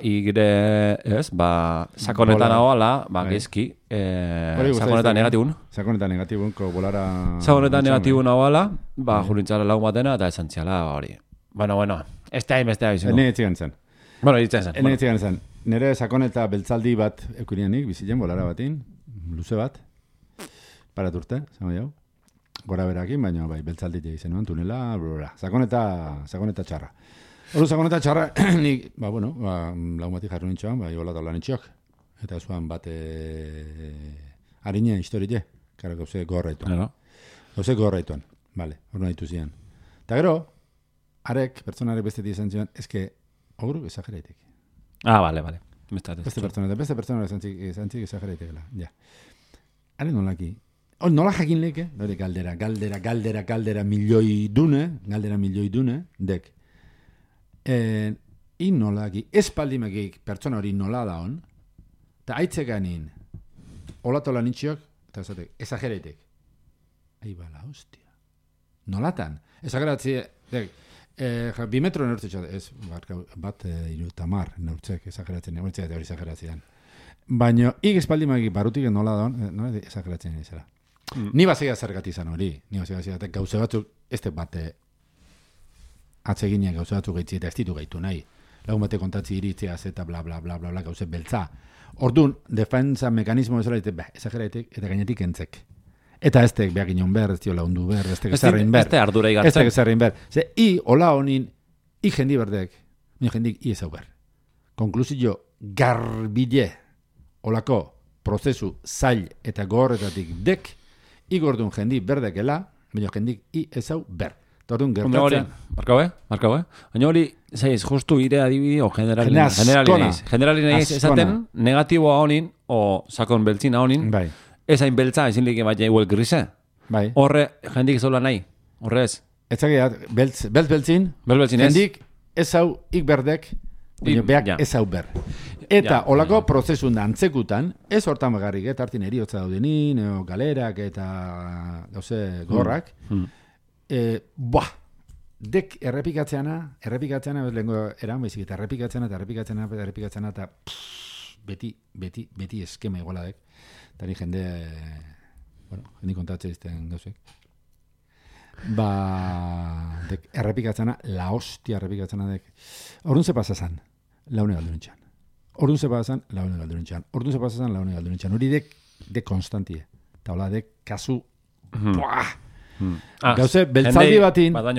igre, sakonetan ahoala, gezki, sakonetan negatibun. Sakonetan negatibun, ko bolara... Sakonetan negatibun ahoala, jurintzala lagun batena, eta esantziala hori. Bueno, ez da beste hau izango. Ene etzigan zen. Bueno, etzigan zen. Nere sakoneta beltzaldi bat eukurianik, bizitzen, bolara batin, luze bat, paraturte, zango jau. Gora berakin, baina beltzaldi izan nuen, tunela, sakoneta txarra. Hori sakoneta txarra, nik, lagun bati jarru nintxoan, iguala taula nintxok. Eta zuan bat harina historie, kara gauze gorraituan. Gauze gorraituan, bale, hori nahitu zian. Eta gero, pertsonarek bestetik izan zian, eske, hori exageraitek. Bale. Beste pertsonarek izan zik exageraitekela, ja. Haren nolaki, nola jakin leke, hori galdera milioi dune, dek. Nolaki, espaldimekik pertsona hori nola da hon, eta aitzekanin, olatola nintxiok, eta esatek, exagereitek. Bala, hostia. Nolatan? Exageratzi, 2 metro neurtzea, ez, bat irutamar neurtzek, exageratzen, neurtzea eta hori exageratzean. Baina, espaldimekik barutik nola da hon, nola exageratzen izela. Ni bazea zergati izan hori, eta gauze batzuk, ez bate, atseginean gauza batzuk gaitzi eta ez ditu gaitu nahi. Lagun bate kontatzi iritzeaz eta bla bla bla bla bla gauze beltza. Orduan, defensa mekanismo bezala exageraitek eta gainetik entzek. Eta eztek behak inon behar, ez dio laundu behar, eztek ezarrein behar. Ezte ardura igartzen. Eztek ezarrein behar. Ze, hola honin, jendi berdek, jendik ezau behar. Konklusio garbile, holako prozesu zail eta gogorretatik dek, igordun jendi berdekela, baina jendik ezau behar. Tordun gertatzen. Markau. Baina hori, zaiz, justu ire adibidi o generalin eiz esaten negatiboa honin o sakon beltzina honin, bai. Ez hain beltza, ezin lehik bat jaiuel grise. Bai. Horre, jendik zola nahi. Horre ez. Ez zageat, beltzin, jendik ez hau ikberdek, beak ez hau ber. Eta olako prozesun da antzekutan, ez hortan bagarrik, hartin eriotza daudenin, galerak eta gauze gorrak, dek errepikatzeana, lehenko eran baizik, eta errepikatzeana, eta beti eskema iguala dek. Eta ni jende kontatzea izten gauzek. Dek errepikatzena, la hostia errepikatzena dek. Orduan ze pasazan, laune galdurintxan. Orduan ze pasazan, laune galdurintxan. Hori dek konstantie. Eta hola dek kasu, gauze, beltzaldi batin, bai,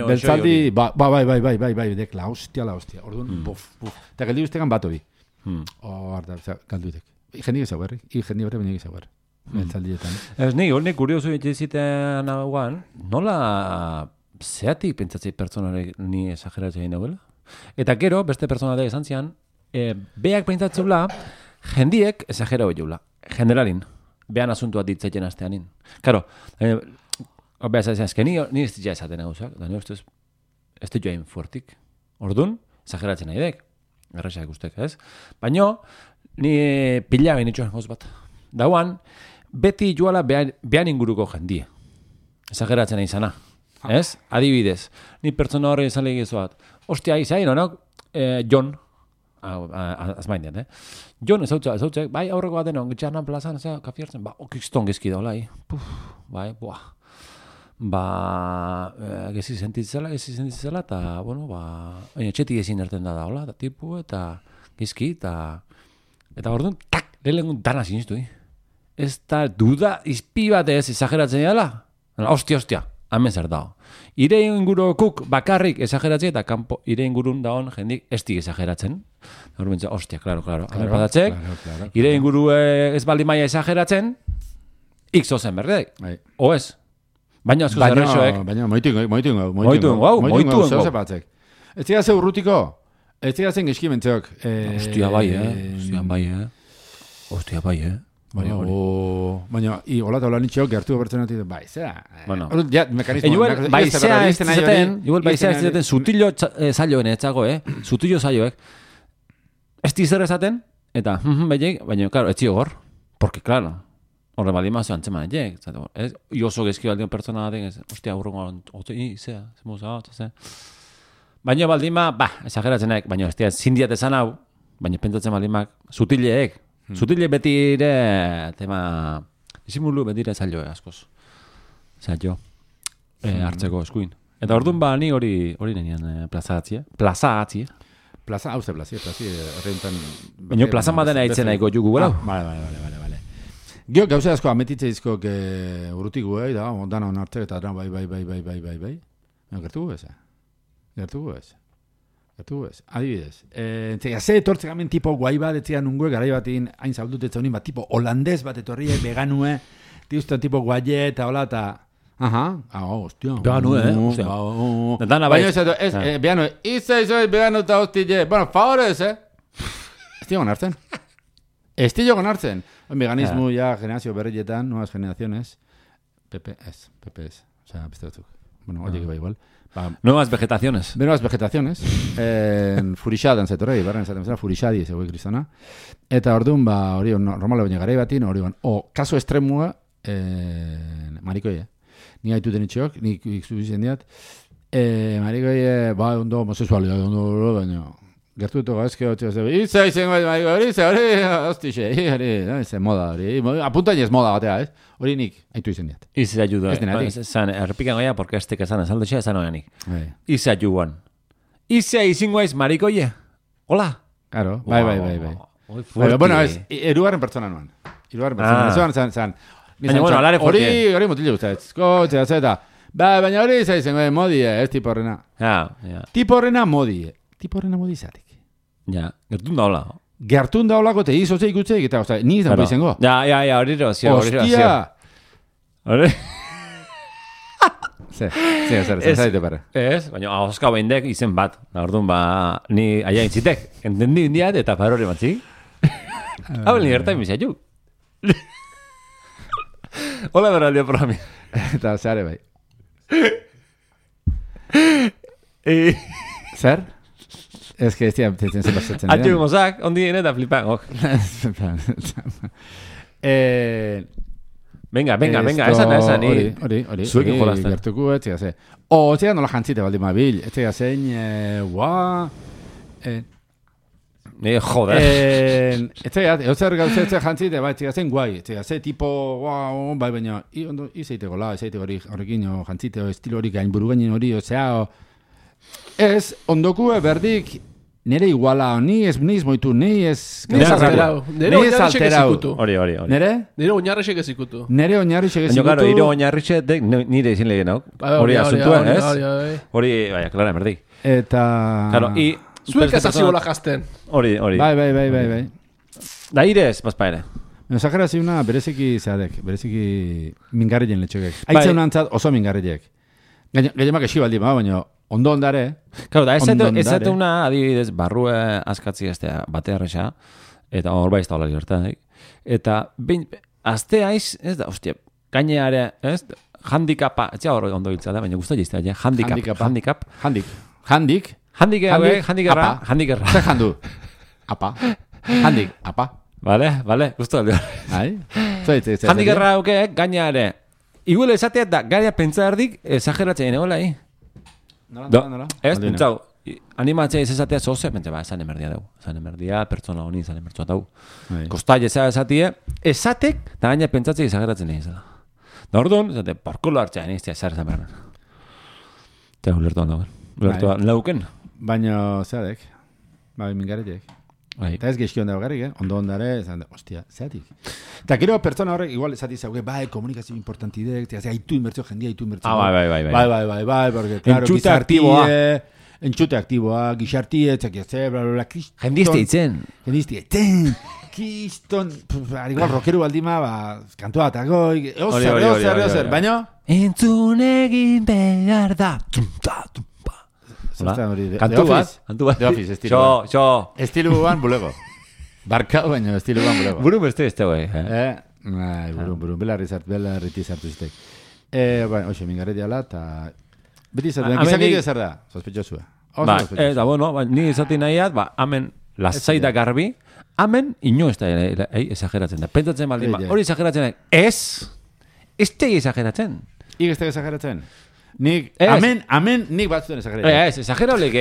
dek la hostia. Orduan, buf. Eta geldi guztekan bat hori. Galduitek. Jendik ez hauerri, jendik horre baina ez hauerri. Beltzaldietan. Ez nik kuriosu egiten hauan, nola zeatik pentsatzei pertsonarek ni esageratzea egin dagoela? Eta gero, beste pertsonarek esan zian, beak pentsatzeula, jendiek esagera hori jaula. Generalin, behan asuntua ditzaiten asteanin. Karo, beha esatzen, ni ez ditia esaten gauzak, da nire ustez, ez ditia hain fuertik. Orduan, esageratzen nahi dek. Errexak ustek, ez? Baina, ni pila behin itxoan gauz bat. Dauan, beti joala behan inguruko jendie. Esageratzen izana. Ez? Adibidez, ni pertsona horre izan lehigizuat. Ostia, izain, honok, Jon, azmaindean, Jon, ez hautzek, bai, aurreko baten hon, gitxarnan plazan, kafiartzen, okiston gezki daula, bai, gezi sentitzela, eta, txetik ezin erten da daula, eta tipu, eta gezki, eta orduan, lehengun dana sinistu, Ez da duda izpi bat ez exageratzen dela? Ostia, hemen zer dago. Ire ingurukuk bakarrik exageratzen, eta kanpo ire ingurun dagoen jendik estik exageratzen. Ostia, claro. Hemen patatzek, ire inguru ez baldin maia exageratzen, X ozen berdek. O ez? Baina asko zerrexoek. Baina moituen gau. Ez dira ze urrutiko? Ez dira zen geskimentzeok. Ostia bai, Baina, hola eta hola nitxeok gertu bertzen ati, bai, zera. Mekanismo. Igual baizea ez dizaten sutillo zaioen etzago, sutillo zaioek. Ez dizer ezaten, eta, baina, claro, etxio gor. Porque, claro, horre bali mazo antzeman etxek. Oso gezki baldion pertsona batek, ostia, urrongo, baina baldima, exageratzen baina ez zindiat esan hau, baina pentsatzen baldimak, sutileek, Zutile beti ere, tema, disimulu beti ere zailo askoz. Zailo, hartzeko eskuin. Eta orduan ni hori nenian plaza atzi. Plaza, hauze plazi, horrentan... Baina plazan baten haitzen nahiko jugu, gara? Vale. Gio, gauze asko ametitze izkok urrutigu, da, ondana onartzek, eta bai. Gertugu ez? Adibidez. Ze etortzek amen tipo guai bat, etzea nungue, garai batin, hain zaudut etza honin, tipo holandez bat etorri, veganue, tiuzten tipo guaie, eta hola, eta... Hostia. Veganue, hostia. Baina ez, veganue, izoi veganu eta hostile. Bueno, favorez, Ez digo gonartzen. Veganismo ya, generazio berrietan, nuevas generaciones. PP es. O sea, beste batzuk. Bueno, oye, que va igual. Nuevas vegetaciones. Furixadan zetorrei, barren zaten bezala, furixadi ez egoi kristona. Eta orduan, hori, normala baina garai batin, hori, kaso estremua, marikoi, Ni gaitu denitxeok, nik iksubizen diat, marikoi, ondo homosexualia, ondo, baina, gertu dutu gaizke, hori, moda, apuntain ez moda batea, hori nik, haitu izen diat. Ize ayuda. Zan, errepikan goia, porque este que zan esaldotxea, zan oianik. Ize ayuan. Ize izingoaiz marikoie. Hola. Claro, bai. Bueno, erugarren pertsona nuan. Zan. Baina, bueno, alare fuerte. Hori mutile guztatz. Kotxe, zeta. Baina hori izan modie, ez tipo horrena. Tipo horrena modie. Zatik. Ja, gertun da hola. Gertun da holako te izotze ikutzeik, eta, ni izan izango. Ja, hori rozio. Hostia! zaitu pare. Ez, baina ahoska beindek izen bat. Orduan, ni aia intzitek, entendi indiat eta farore matzik. Hau ni gertain bizaitu. Hola beraldia programi. Eta zeare bai. Zer? Ez que ez dira, zen pasatzen. Atxu mozak, ondi dien eta flipan, Venga, esan. Hori. Zuekin jolazten. Gertuko, ez zega ze. Ez zega nola jantzite baldin mabil. Ez zega zein, joder. Ez zega, euser gauze ez zega jantzite, ez zega zen guai. Ez zega ze tipo, bai baina, izaiteko la, horrekin jantzite, estilo hori gain buru gainin hori, ez, ondokue berdik nere iguala, ni ez moitu, ni ez alterau. Hori. Nere? Nire oinarrixek ez ikutu. Nire oinarrixek ez ikutu. Baina, nire oinarrixek nire izin lehen, no? Hori asuntua, ez? Hori, baina, klara, merdi. Eta... Zuek azazibola jazten. Hori. Bai. Da irez, bazpa ere. Zajera ziuna bereziki zeadek, bereziki mingarrien letxokek. Aitzen antzat oso mingarriek. Gailemak esi baldi, baina ondo ondare. Claro, da ez una adibidez barrue askatzi estea bate erresa, eta hor bai ez da hola libertadik. Eta azte aiz, ez da, hostia, gaineare, ez, handikapa, ez da hor ondo biltza da, baina guztu jiztea, handikap. Handikerra. Zer handu? Apa. Apa. Vale, guztu alde. Handikerra hauke, gaineare. Igual esatea da, gaia pentsa erdik, exageratzen egola, Nola? Ez, pentsau, animatzea ez esatea zoze, pentsa, esan emerdia dugu. Esan emerdia, pertsona honi, esan emertzua dugu. Kostai esatie, esatek, da gaina pentsatzea exageratzen egin zela. Da orduan, esate, porkulo hartzea, niztia, esan berren. Eta ulertuan dagoen. Ulertuan lauken. Baina, zeadek, mingarriek. Eta ez gehizkion dago garrik, ondo ondare, ostia, zeatik. Eta gero pertsona horrek, igual esati zauke, komunikazio importantidek, haitu inbertzio, jendia haitu inbertzio. Bai, porque, claro, entxute aktiboa, gixartie, txakiatze, blablabla, kriston. Jendizte itzen. Kriston, igual rokeru baldima, kantua atagoi, eozer, baina? Entzun egin behar da, Kantu bat? The Office, estilu bat. Estilu guan bulego. Barkau baino, estilu guan bulego. Buru beste guai. Buru, belarriti zartu zitek. Oxe, mingarreti ala, eta... Beti zartu, gizakik zer da, sospechosua. Eta bueno, ni izati nahiat, hamen lasai da garbi, hamen ino ez da exageratzen da. Pentsatzen baldin, hori exageratzen da. Ez tegi exageratzen. Ik ez tegi exageratzen. Amen, nik batzuten exageratzen. Ez, exagerolek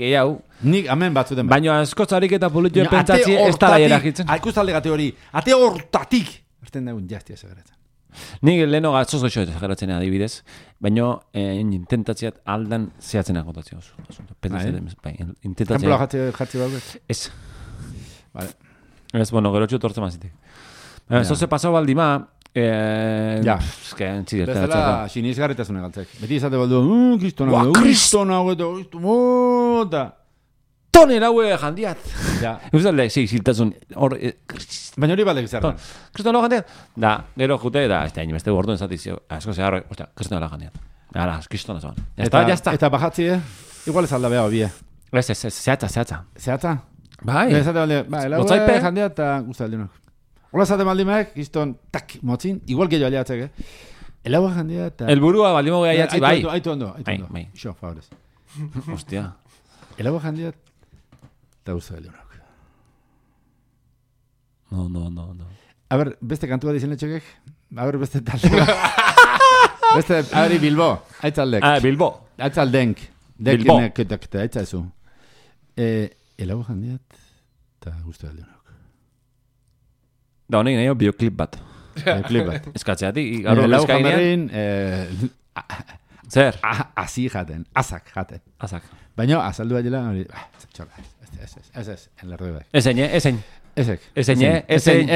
eiau. Nik amen batzuten. Baina askotzarik eta politioen pentsatzi ez tala eragitzen. Ikustalde gate hori, ate hortatik. Erten dagoen jazti exageratzen. Nik leheno gatzoz goxo exageratzen adibidez, baina intentatziat aldan zehatzen agotatzen oso. Ejemplo jartzi bauk? Ez. Vale. Ez, bueno, gero txut hortzen mazitek. Zoze pasau baldima, bezala sinizgarritasune galtzek. Beti izate baldu, kristona hau, tonen haue jandiat. Eustalde, ziltasun. Baina hori baldek zer da. Kristona jandiat. Da, gero jute, da, ez da, beste gorduen zatizio, asko zeharroi, kristona jandiat. Ara, kristona zoan. Eta bajatzi, igual ez alda beha obie. Ez, zehatza. Zehatza? Bai. Lotzaipe jandiat eta guztaldiunok. Hola zate maldimek, izton, tak, motzin, igual gehiago aliatzek, Elaua jandia eta... Elburua baldimo gehi aiatzi, bai. Aitu ondo. Ixo, favorez. Hostia. Elaua jandia eta usta leonok. No. A ber, beste kantua dizen etxekek? A ber, beste talde. Beste, a ber, Bilbo. Aitzaldek. Bilbo. Aitzaldenk. Bilbo. Aitzazu. Elaua jandia eta usta leonok. Da honek nahi bioklip bat. Eskatzeatik, garo eskainean. Zer? Asi jaten, azak jaten. Azak. Baina, azaldu baila, ez, en lerdu bai. Ezein. Ezein.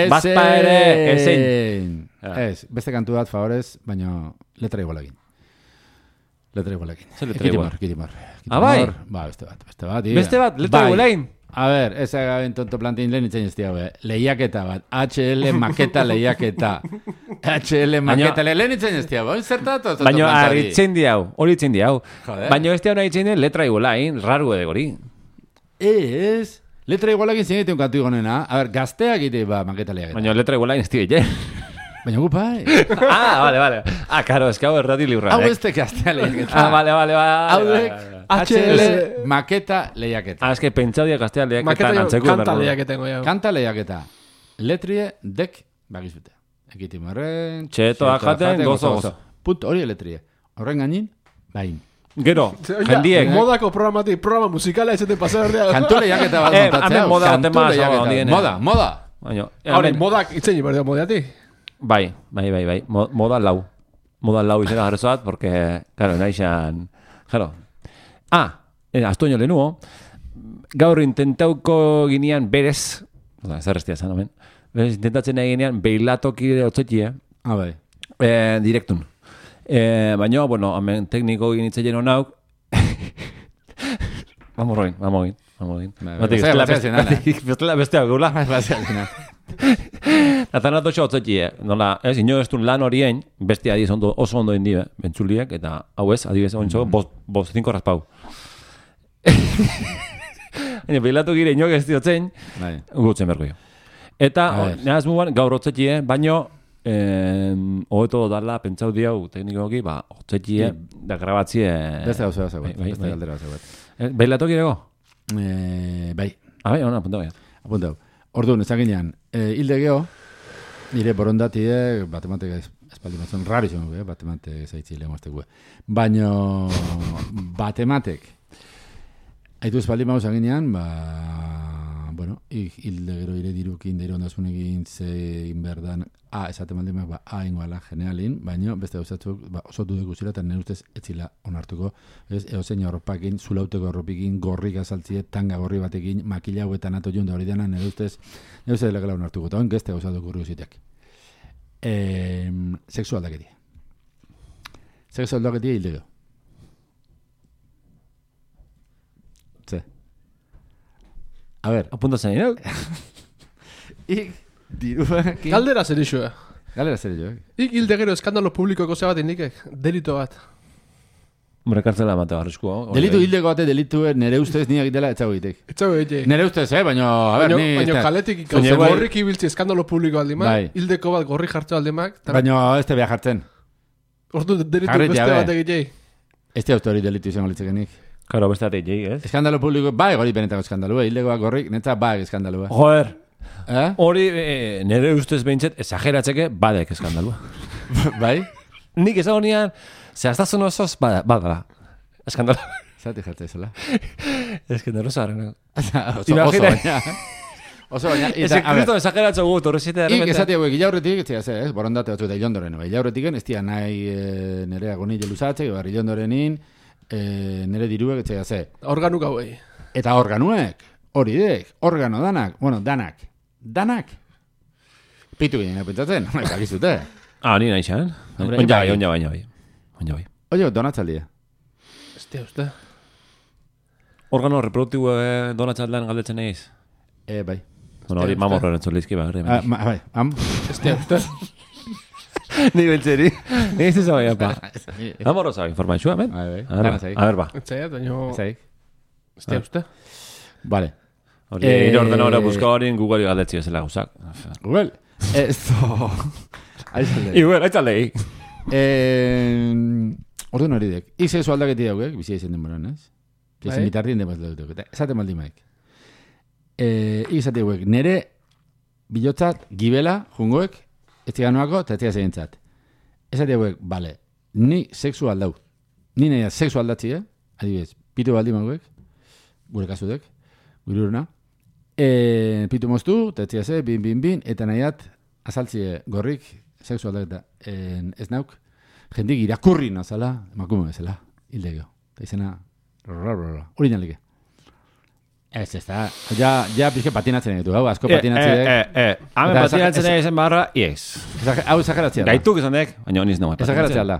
Bazpa ere, ezein. Ez, beste kantu bat, favorez, baina letra igualekin. Zer letra igual? Kitimor. Bai? Ba, beste bat. Beste bat, letra igualekin? A ver, ez agaben tonto plantein lehen itzen ez diago, lehiaketa bat, HL maketa lehiaketa. HL maketa lehen itzen ez diago, zertatu? Baina haritzen diau, hori itzen diau. Baina ez diau nahi itzen letra igualain, raru edegori. Ez, letra igualakin zinegiten kantu igonena. A ver, gazteak ite ba maketa lehiaketa. Baina letra igualain ez diau, Baina gupai. Vale. Claro, es que hau errati libra. Hau este gaztea lehiaketa. Vale. Haudek, HL maketa lehiaketa. Es que pentsau dia gaztea lehiaketa nantzeko. Kanta lehiaketengo jau. Kanta lehiaketa. Letrie dek bagizute. Ekitimarren. Txetoa jaten, gozo. Punto, hori letrie. Horren gainin, bain. Gero, jendiek. Modako programa musikala ez ete pasar ordea. Kantu lehiaketa bat montatzea. Moda. Hore, modak itzen jibardia modeati. Bai. Moda lau izena garrezoat, porque, claro, naixan... Claro. Astoño lehenuo, gaur intentauko ginean berez, zer restia zan, omen, berez intentatzen nahi ginean beilatoki otzetie, bai. Direktun. Baina, bueno, hemen tekniko ginitzen honauk, vamos roin. Bestea gula. Natanatu xo otzetie, nola, ez, ino ez duen lan horien, bestia adiz oso ondo indi, bentsuliek, eta hau ez, adibez, ontso, 5 raspau. Beilatu gire inok ez diotzen, gutzen berko jo. Eta, nahaz mugan, gaur otzetie, baino, hoeto dala, pentsau diau, teknikoki, otzetie, da grabatzie... Beste gauza beste galdera gauza. Beilatu girego? Bai. Bai, hona, apuntau. Orduan, ezak ginean, hilde geho, nire borondatie, batematek espaldi batzen, raro izan gu, batematek zaitzi lehen maztek gu. Baina, batematek, haitu espaldi mauzak ginean, bueno, hilde gero ire dirukin, deire ondasun egin, zein berdan, esaten maldimak, ingoala, generalin, baina, beste gauzatzuk, oso dudek guzira, eta nire ustez etzila onartuko, eozein horropakin, zulauteko horropikin, gorrik azaltzie, tanga gorri batekin, makila hauetan ato junda hori dena, nire ustez delegala onartuko, eta hon gezte gauzatu gurri guziteak. Sexu aldaketia. Sexu aldaketia hildego. A ver. Apunta zen, ¿no? Diruakin... Galdera zer iso, hilde gero eskandalo publikoko zebat indikek, delito bat. Hombre, kartzela mate barrizko. Delitu hildeko bate, delitu nere ustez niak itela etxago itek. Nere ustez, baina, a ver, ni... Baina kaletik gorrik ibiltzi eskandalo publiko aldimak, hildeko bat gorri jartzu aldimak. Baina ez te beha jartzen. Ordu delitu beste bat egitei. Ez te hori delitu izango litzekenik. Karo, beste bat egitei, ez? Eskandalo publiko, hori benetako eskandalua, hildeko bat gorrik, netza eskandalua. Joder, hori nere ustez behintzet, exageratzeke, badek eskandalua. Bai? Nik ezago nian, zehaztasun osoz, badala. Eskandalua. Zati jartzea izela. Eskandalua zaren. Oso baina. Ez ekristo exageratzo gut, horrezite derrepente. Ezati hauek, ilaurretik, borondate batzu eta ilondoren. Ilaurretik, ez tia nahi nere agoni jeluzatzek, ilondorenin, nere diruek, organuk hauei. Eta organuek, hori dek, organo danak, bueno, danak. Pitu ginen, pentsatzen, bakizute. Ni nahi xan. Onja bai. Oye, donatzaldia. Uste. Organo reproduktibo donatzaldean galdetzen egin? Bai. Bueno, hori mamorro erantzun lehizki, bai. Uste. Ni bentzeri. Ni ez zabai, apa. Mamorro zabai, informazioa, men? A ver, ba. Etzaiat, baina... Uste. Vale. Hori ordenadora buska hori Google galdetzi bezala gauzak. Google? Esto... Igual, aitzaldei. Orduan hori dek. Izezu aldaketi daugek, bizia izen denboran, ez? Izen bitardien denbaz dauk. Esate maldi maik. Izate hauek, nere bilotzat, gibela, jungoek, ez ziganoako, eta ez zigazentzat. Esate hauek, bale, ni sexu aldau. Ni nahi sexu aldatzi, adibidez, pitu baldi mauek, gure kasudek, gure uruna. Pitu moztu, eta ez zigazze, bin, eta nahiat, azaltzie gorrik, sexu aldaketa ez nauk, jendik irakurri nazala, emakume bezala, hildegeo. Eta izena, hori nalike. Ez da, ja pixke patinatzen egitu, hau, asko patinatzen. Hame patinatzen egin barra, yes. Hau exageratzea da. Gaituk izan dek, baina honiz nagoa. Exageratzea da.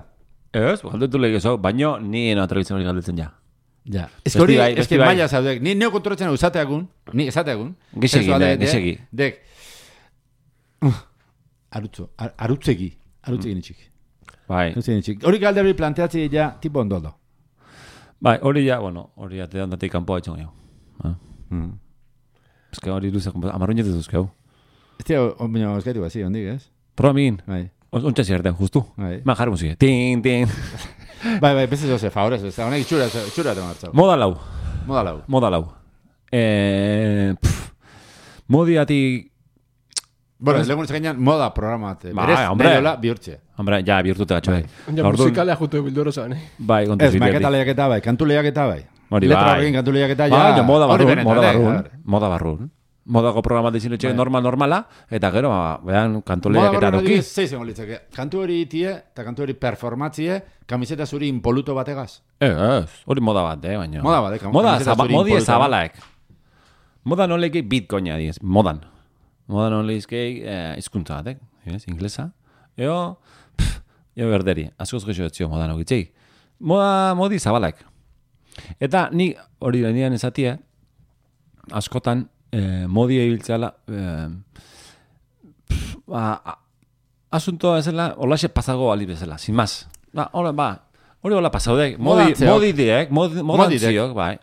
Ez, galdetu lehiago, baina ni eno atrebitzen hori galdetzen ja. Ja. Ez que maila zaudek. Ni neo kontrolatzen hau esateagun. Gizegi. Dek. Arutzegi nitxik. Bai. Hori galde hori planteatzea ja tipo ondodo. Bai, hori ja, hori ja tedandatik kanpoa etxon gehiago. Ez que hori luzak, amarruñet ez duzkeu. Ez tia, baina eskaitu bazi, hondik, ez? Proba migin. Bai. Ontsa zierten, justu. Bai. Ma jarri musik. Tin. Bai, beste zoze, favorez, ez da, honek itxura temartzau. Moda lau. Modiatik... Bueno, ez legun ezagainan moda programat. Berez, beriola, bihurtze. Hombre, ja, bihurtute gatxo. Ja, musikalea jutu bilduro zan, Bai, kontuz. Ez, maketa lehiaketa bai, kantu lehiaketa bai. Hori letra horrekin kantu lehiaketa ja... Bai, moda barrun. Modako programat dizin etxe normala, eta gero, behan, kantu lehiaketa duki. Moda barrun zeizen litzake. Kantu hori itie, eta kantu hori performatzie, kamiseta zuri impoluto bategaz. Hori moda bat, baina. Moda bat, modi zabalaek. Moda nolekei bitcoina diez, modan. Moda nolekei izkuntza batek, inglesa. Eo berderi, askoz gexo etzio moda nogitzei. Modi zabalaek. Eta ni hori nian ezatia, askotan modi ebiltzeala asuntoa ezela, holaxe pasago ali bezala, sin más. Hori hola pasaudek, modantziok, bai.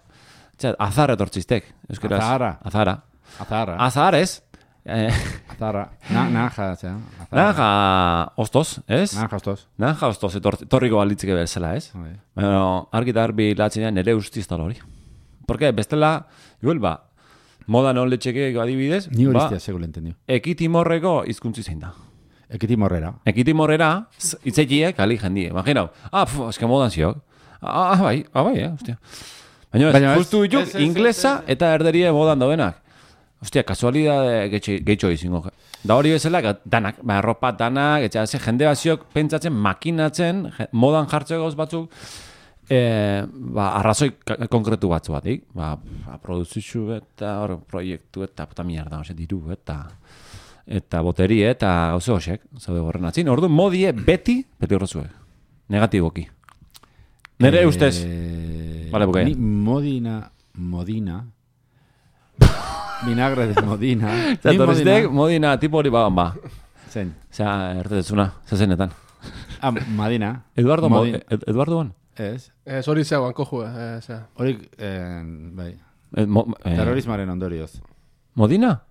Azar etortzistek, euskaraz. Azar ez? Azarra. Naranja, zera. Naranja ostos, ez? Naranja ostos etorriko alitzike bezala, ez? Bueno, argita arbi latzenean nere ustiz tal hori. Porque bestela, igual moda non letxeke adibidez, ni hori iztea sego lentendio. Ekitimorreko hizkuntzi zein da. Ekitimorrera, itzekiek ali jendie. Imaginau, eske modan ziok. Bai, hostia. Baina justu dituk, inglesa eta erderie modan daudenak. Hostia, kasualidade gehitxo izingo. Da hori bezala, danak, ropa danak, etxe, jende baziok pentsatzen, makinatzen, modan jartzeko gauz batzuk, arrazoi konkretu batzu batik. Produzizu eta proiektu eta puta mierda, diru eta boteri eta gauze hoxek, zaude gorren atzin. Ordu modie beti horrezuek. Negatiboki. Nere ustez. Vale, bukaia. Modina. Vinagre de Modina. Modina tipo hori bagan ba. Zein. Osea, ertetzuna, zezenetan. Madina. Eduardo bon? Ez. Ez hori zeuan koju, hori, bai. Terrorismaren ondorioz. Modina?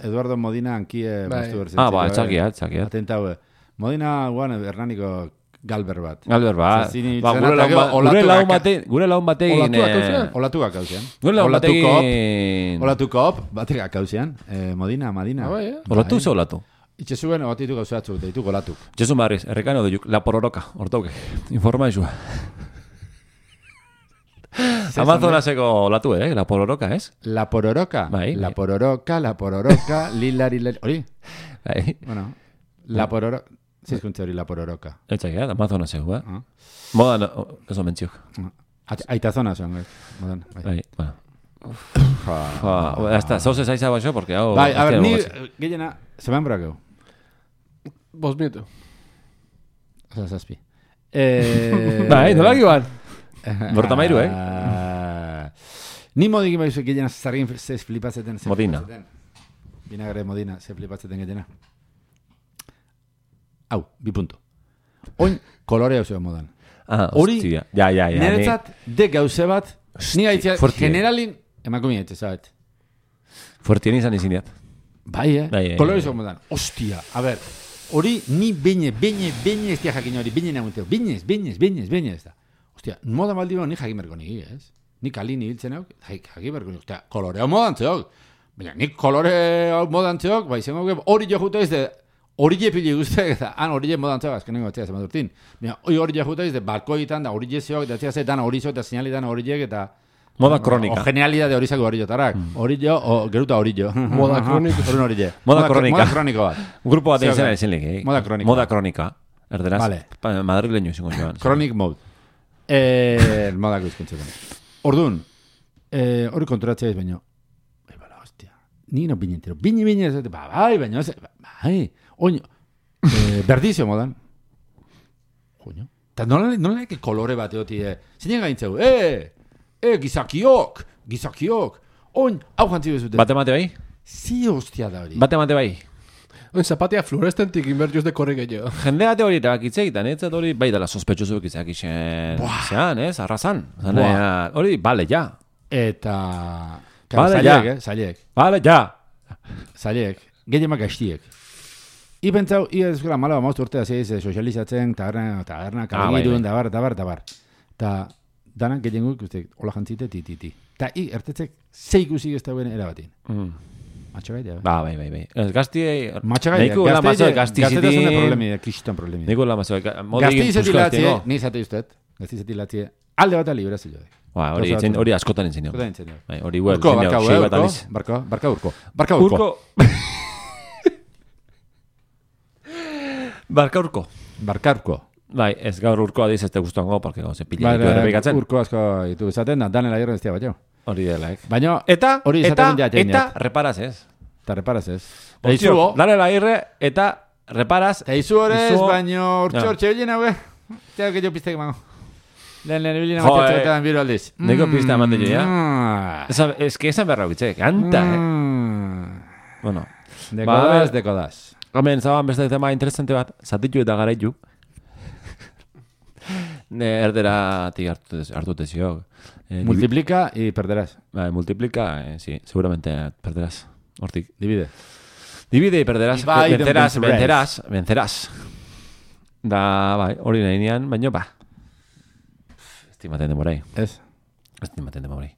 Eduardo Modina ankie maztu berzen. Txakia. Atentaue. Modina guan Hernaniko Galber bat. Gure laun bategin... Olatukak hauzean. Olatukop bategak hauzean. Modina. Olatu ze olatu? Itxezuen ogatitu gauzeatzu, deitu olatuk. Itxezun barriz, errekano duk, la pororoka, hortauke. Informa izua. Amazonaseko olatu, la pororoka, ez? La pororoka? Bai. La pororoka, lilari... Hori? Bai. Bueno, la pororoka... Zizkuntze hori la pororoka. Etxak, Amazonaseko, Modan, eso mentziok. Aita zona zuen, modan. Bai, bueno. Hasta, zauzez aiza baxo, porque hau... Bai, a ver, ni gehiena, zeman brakeu. 5 minutu. Osa, zazpi. Bai, nolak igual. Bortamairu, Ni modik imaizu gehiena zargin ze flipatzeten. Modina. Vinagre Modina, ze flipatzeten gehiena. Hau, 2 punto. Oin, kolore hau zeu modan. Hostia. Ja. Niretzat, de gauze bat, ni gaitzia, generalin, emakumia etxe, zabet. Fuertien izan izineat. Bai, kolore zeu modan. Hostia, a ver, hori ni beñe ez dia jakin hori, beñe nagunteo, beñez da. Hostia, moda maldi ni jakin berko nigi, ez? Ni kalin ibiltzen hau, jakin berko nigi, hostia, kolore hau modan zeok. Baina, nik kolore hau modan zeok, bai, zengo hori jo juta izte, hori pili guztiak eta hori modan zeok, azkenengo batzea zemat urtin. Baina, hori juta izte, balkoitan da hori zeok, eta zea dan hori zeok, eta sinalitan hori eta... Moda kronika. O genialidade hori zako hori jotarak. Hori jo, o geruta hori jo. Moda kronika. Moda kronika. Moda kroniko bat. Grupo bat izan ezin lik, Moda kronika. Moda kronika. Erderaz. Vale. Madrileño izango joan. Chronic mode. Moda guzkuntzetan. Orduan, hori konturatzea ez baino. Bai, bala, hostia. Ni no bine entero. Bine, bai, baino. Bai, oño. Berdizio modan. Coño. Ta nola kolore bat eoti, zinen gaintzeu, gizakiok, oin, hau jantzi bezute. Bate mate bai? Zi hostia da hori. Bate mate bai? Oin zapatia fluorescentik inbertiuz de korri gehiago. Jende bate hori erabakitze egiten, ez hori bai dela sospetxozu egizak isen. Zean, ez, arrazan. Hori, bale, ja. Eta... Bale, ja. Zailek. Bale, ja. Zailek. Gehiemak gaiztiek. Ipentzau, ezkola mala bamaust urtea zeiz sozializatzen, taberna, kalagirun, dabar. Ta danak gehienguk, hola jantzite, ti. Ta ertetzek zeikuzik ez dauen erabatin. Matxagaitea. Bai. Ez gaztiei... Matxagaitea. Neiko la mazoe gaztiziti... Gaztetazune problemi, kriston problemi. Neiko la mazoe... Gaztizeti latzie, ni zate usteet. Gaztizeti latzie, alde bat libra zilo. Hori askotan entzien. Hori huel. Barka urko. Bai, ez gaur urko adiz ez te guztuango, porque gauze pila ditu errepikatzen. Urko asko ditu izaten, danela irren ez tia bat jo. Hori delaik. Baina, eta reparaz ez. Eta reparaz ez. Danela irre, eta reparaz. Eta izu horrez, baina urtxe bilin haue. Eta que jo piztek mango. Lehen bilin haue tetzetan biro aldiz. Neko pizte amante jo, ja? Ez que esan berra bitzek, anta, Bueno. Dekodaz. Hemen, zaban beste tema interesante bat, zatitu eta garaitu. Erderatik hartute ziok. Multiplica y perderás. Multiplica, sí, seguramente perderás. Hortik. Divide y perderás. Vencerás. Da, bai, hori nahi nian, baina, estimaten demorai. Ez? Estimaten demorai.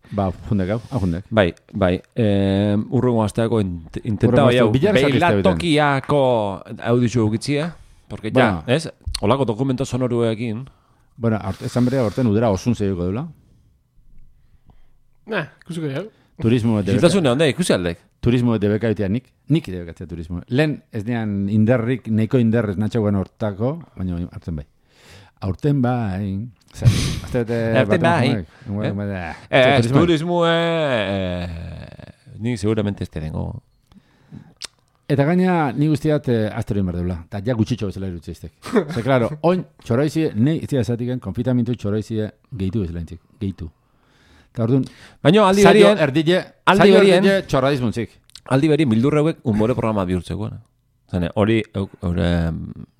Fundek. Bai. Urrungo asteako intentaba jau. Beilatokiako audizu eukitzie. Porque ja, ez? Olako dokumento sonoruekin. Bueno, esan berea horten udera osun zeiko dula. Ikusiko jau. Turismo eta Ziltasune honde, ikusi aldek. Turismo eta bekaitea nik debekatzea turismo. Lehen ez nean inderrik, neiko inderrez natxagoen hortako, baina hartzen bai. Aurten bai. Aurten bai. Turismo ni seguramente este dengo. Eta gaina ni guztiat astero inberdula. Eta ja gutxitxo bezala irutzeiztek. Ze, klaro, oin txoroizie, nei iztia esatiken, konfitamentu txoroizie gehitu bezala intzik. Gehitu. Eta orduan, baina aldi berien txorradizmuntzik. Aldi berien bildurreuek unbore programa bihurtzeko. Zene, hori,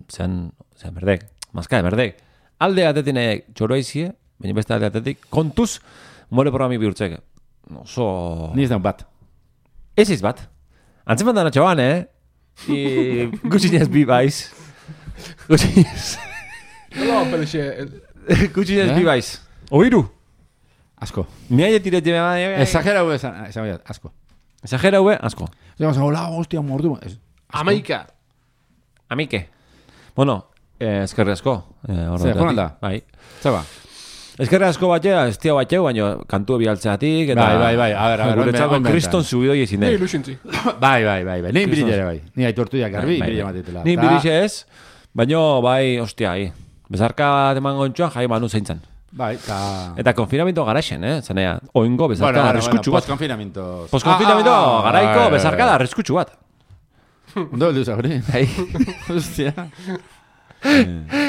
zean berdek, mazka berdek. Alde atetine txoroizie, baina beste alde atetik, kontuz unbore programi bihurtzeko. Oso... Ni ez daun bat. Ez bat. Antzeman dana txaban, Gutxinez bi baiz. Gutxinez bi baiz. Oiru. Asko. Ni aia tirete me va. Exagera hue asko. Exagera hue asko. Digamos, hola, hostia, mordu. Amaika. Amike. Bueno, eskerri asko. Zer, jonalda? Bai. Zaba. Eskerri asko batxea, estia batxeu, baina kantu bialtzeatik. Bai. A ver. Guretzako kriston zubidoi ezin den. Nei ilusintzi. Bai. Ni bililere bai. Ni aitortu jak garbi, bilile matitela. Ni bilile ez, baina bai, ostia, bezarka teman gontxoan jai manu zeintzan. Bai, eta konfinamento garaixen, zanea, oingo bezarka arriskutsu bat. Poskonfinamento garaiko bezarka da arriskutsu bat. Ondo heldu zagori. Hostia.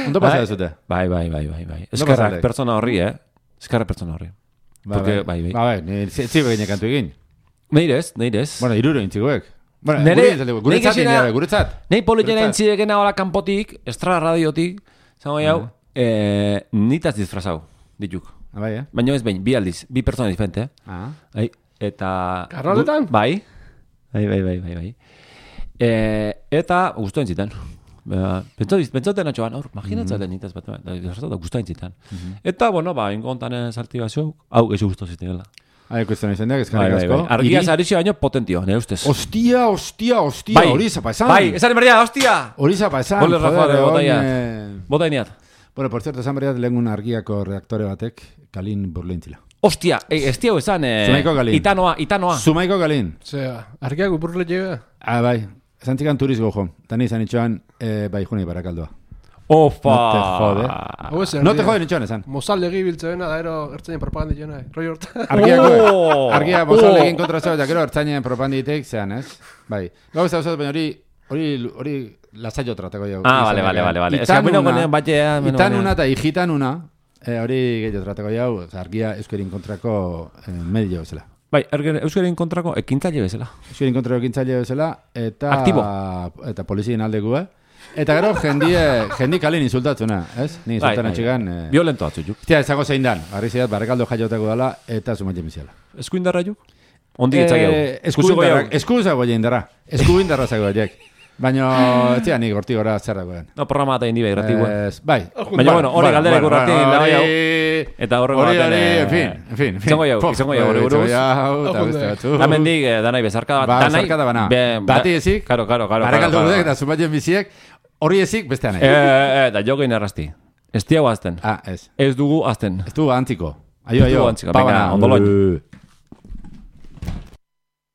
Ondo pasa dezute. Bai. Eskerrak pertsona horri, Eskerrak pertsona horri. Bai, zirbe gine kantu egin. Neirez. Bueno, iruro intzikoek. Guretzat. Nei politena intzidekena hola kanpotik, Estra radiotik, zango jau, nitaz disfrazau, dituk. Baina ez behin, bi aldiz, bi pertsona diferente. Eta... Karroletan? Bai. Eta guztu entzitan. Pentsauten atxoan, imaginatzen nitaz bat, guztu entzitan. Eta, bueno, ingontan sarti bazio, hau geixo guztu zitela. Kuestion izendeak, eskarrik asko. Argia zaritxe baino potentio, ne ustez. Hostia, hori zapa esan. Bai, esan berria, hostia! Hori zapa esan. Bole Rafa, botaineat. Bueno, por cierto, esan berria lehengun argiako redaktore batek, Kalin burleintzila. Hostia, ez tiago esan, Zumaiko Kalin. Itanoa. Zumaiko Kalin. Zea, argiako burleitxea. Bai, esan txikan turizgo jo. Tani izan itxoan, bai, juni barakaldoa. Ofa! No te jode nitxoan esan. Mozaldegi biltzena, da ero ertzainen propaganda itxena, roi horta. Argia mozaldegin kontra zeu, eta gero ertzainen propaganda itek, zean, ez? Bai. Gau ez da, baina hori lasaio tratako jau. Vale. Itanuna eta hijitanuna, hori gehiago tratako jau, argia euskerin kontrako medio bezala. Bai, euskerin kontrako ekintzaile bezala. Euskerin kontrako ekintzaile bezala, eta... Aktibo. Eta polizien aldekua. Eta gero, jendi kalin insultatzuna, ez? Ni insultan atxigan... Violento atzut, juk. Tia, ezago zein dan, barri zeiat, barrekaldo jaiotako dala, eta sumatzen biziala. Eskuindarra juk? Ondik etzak Eskuzago indarra. Eskuindarra zago horiek. Baina, tia, nik horti gora zerrakoen. No, programa eta indi behir ratikoa. Bai. Baina, bueno, hori galdera ikurrati, bai hau. Eta horrego baten... En fin. Izango jau, hori buruz. Hemen dik, danai bezarkada bat. Bezarkada bana. Bati ezik. Karo. Barekaldu dudek, eta zumatzen biziek, hori ezik bestean. Da jogein errazti. Ez tiago azten. Ez. Ez dugu azten. Ez dugu antiko. Aio. Venga, ondoloin.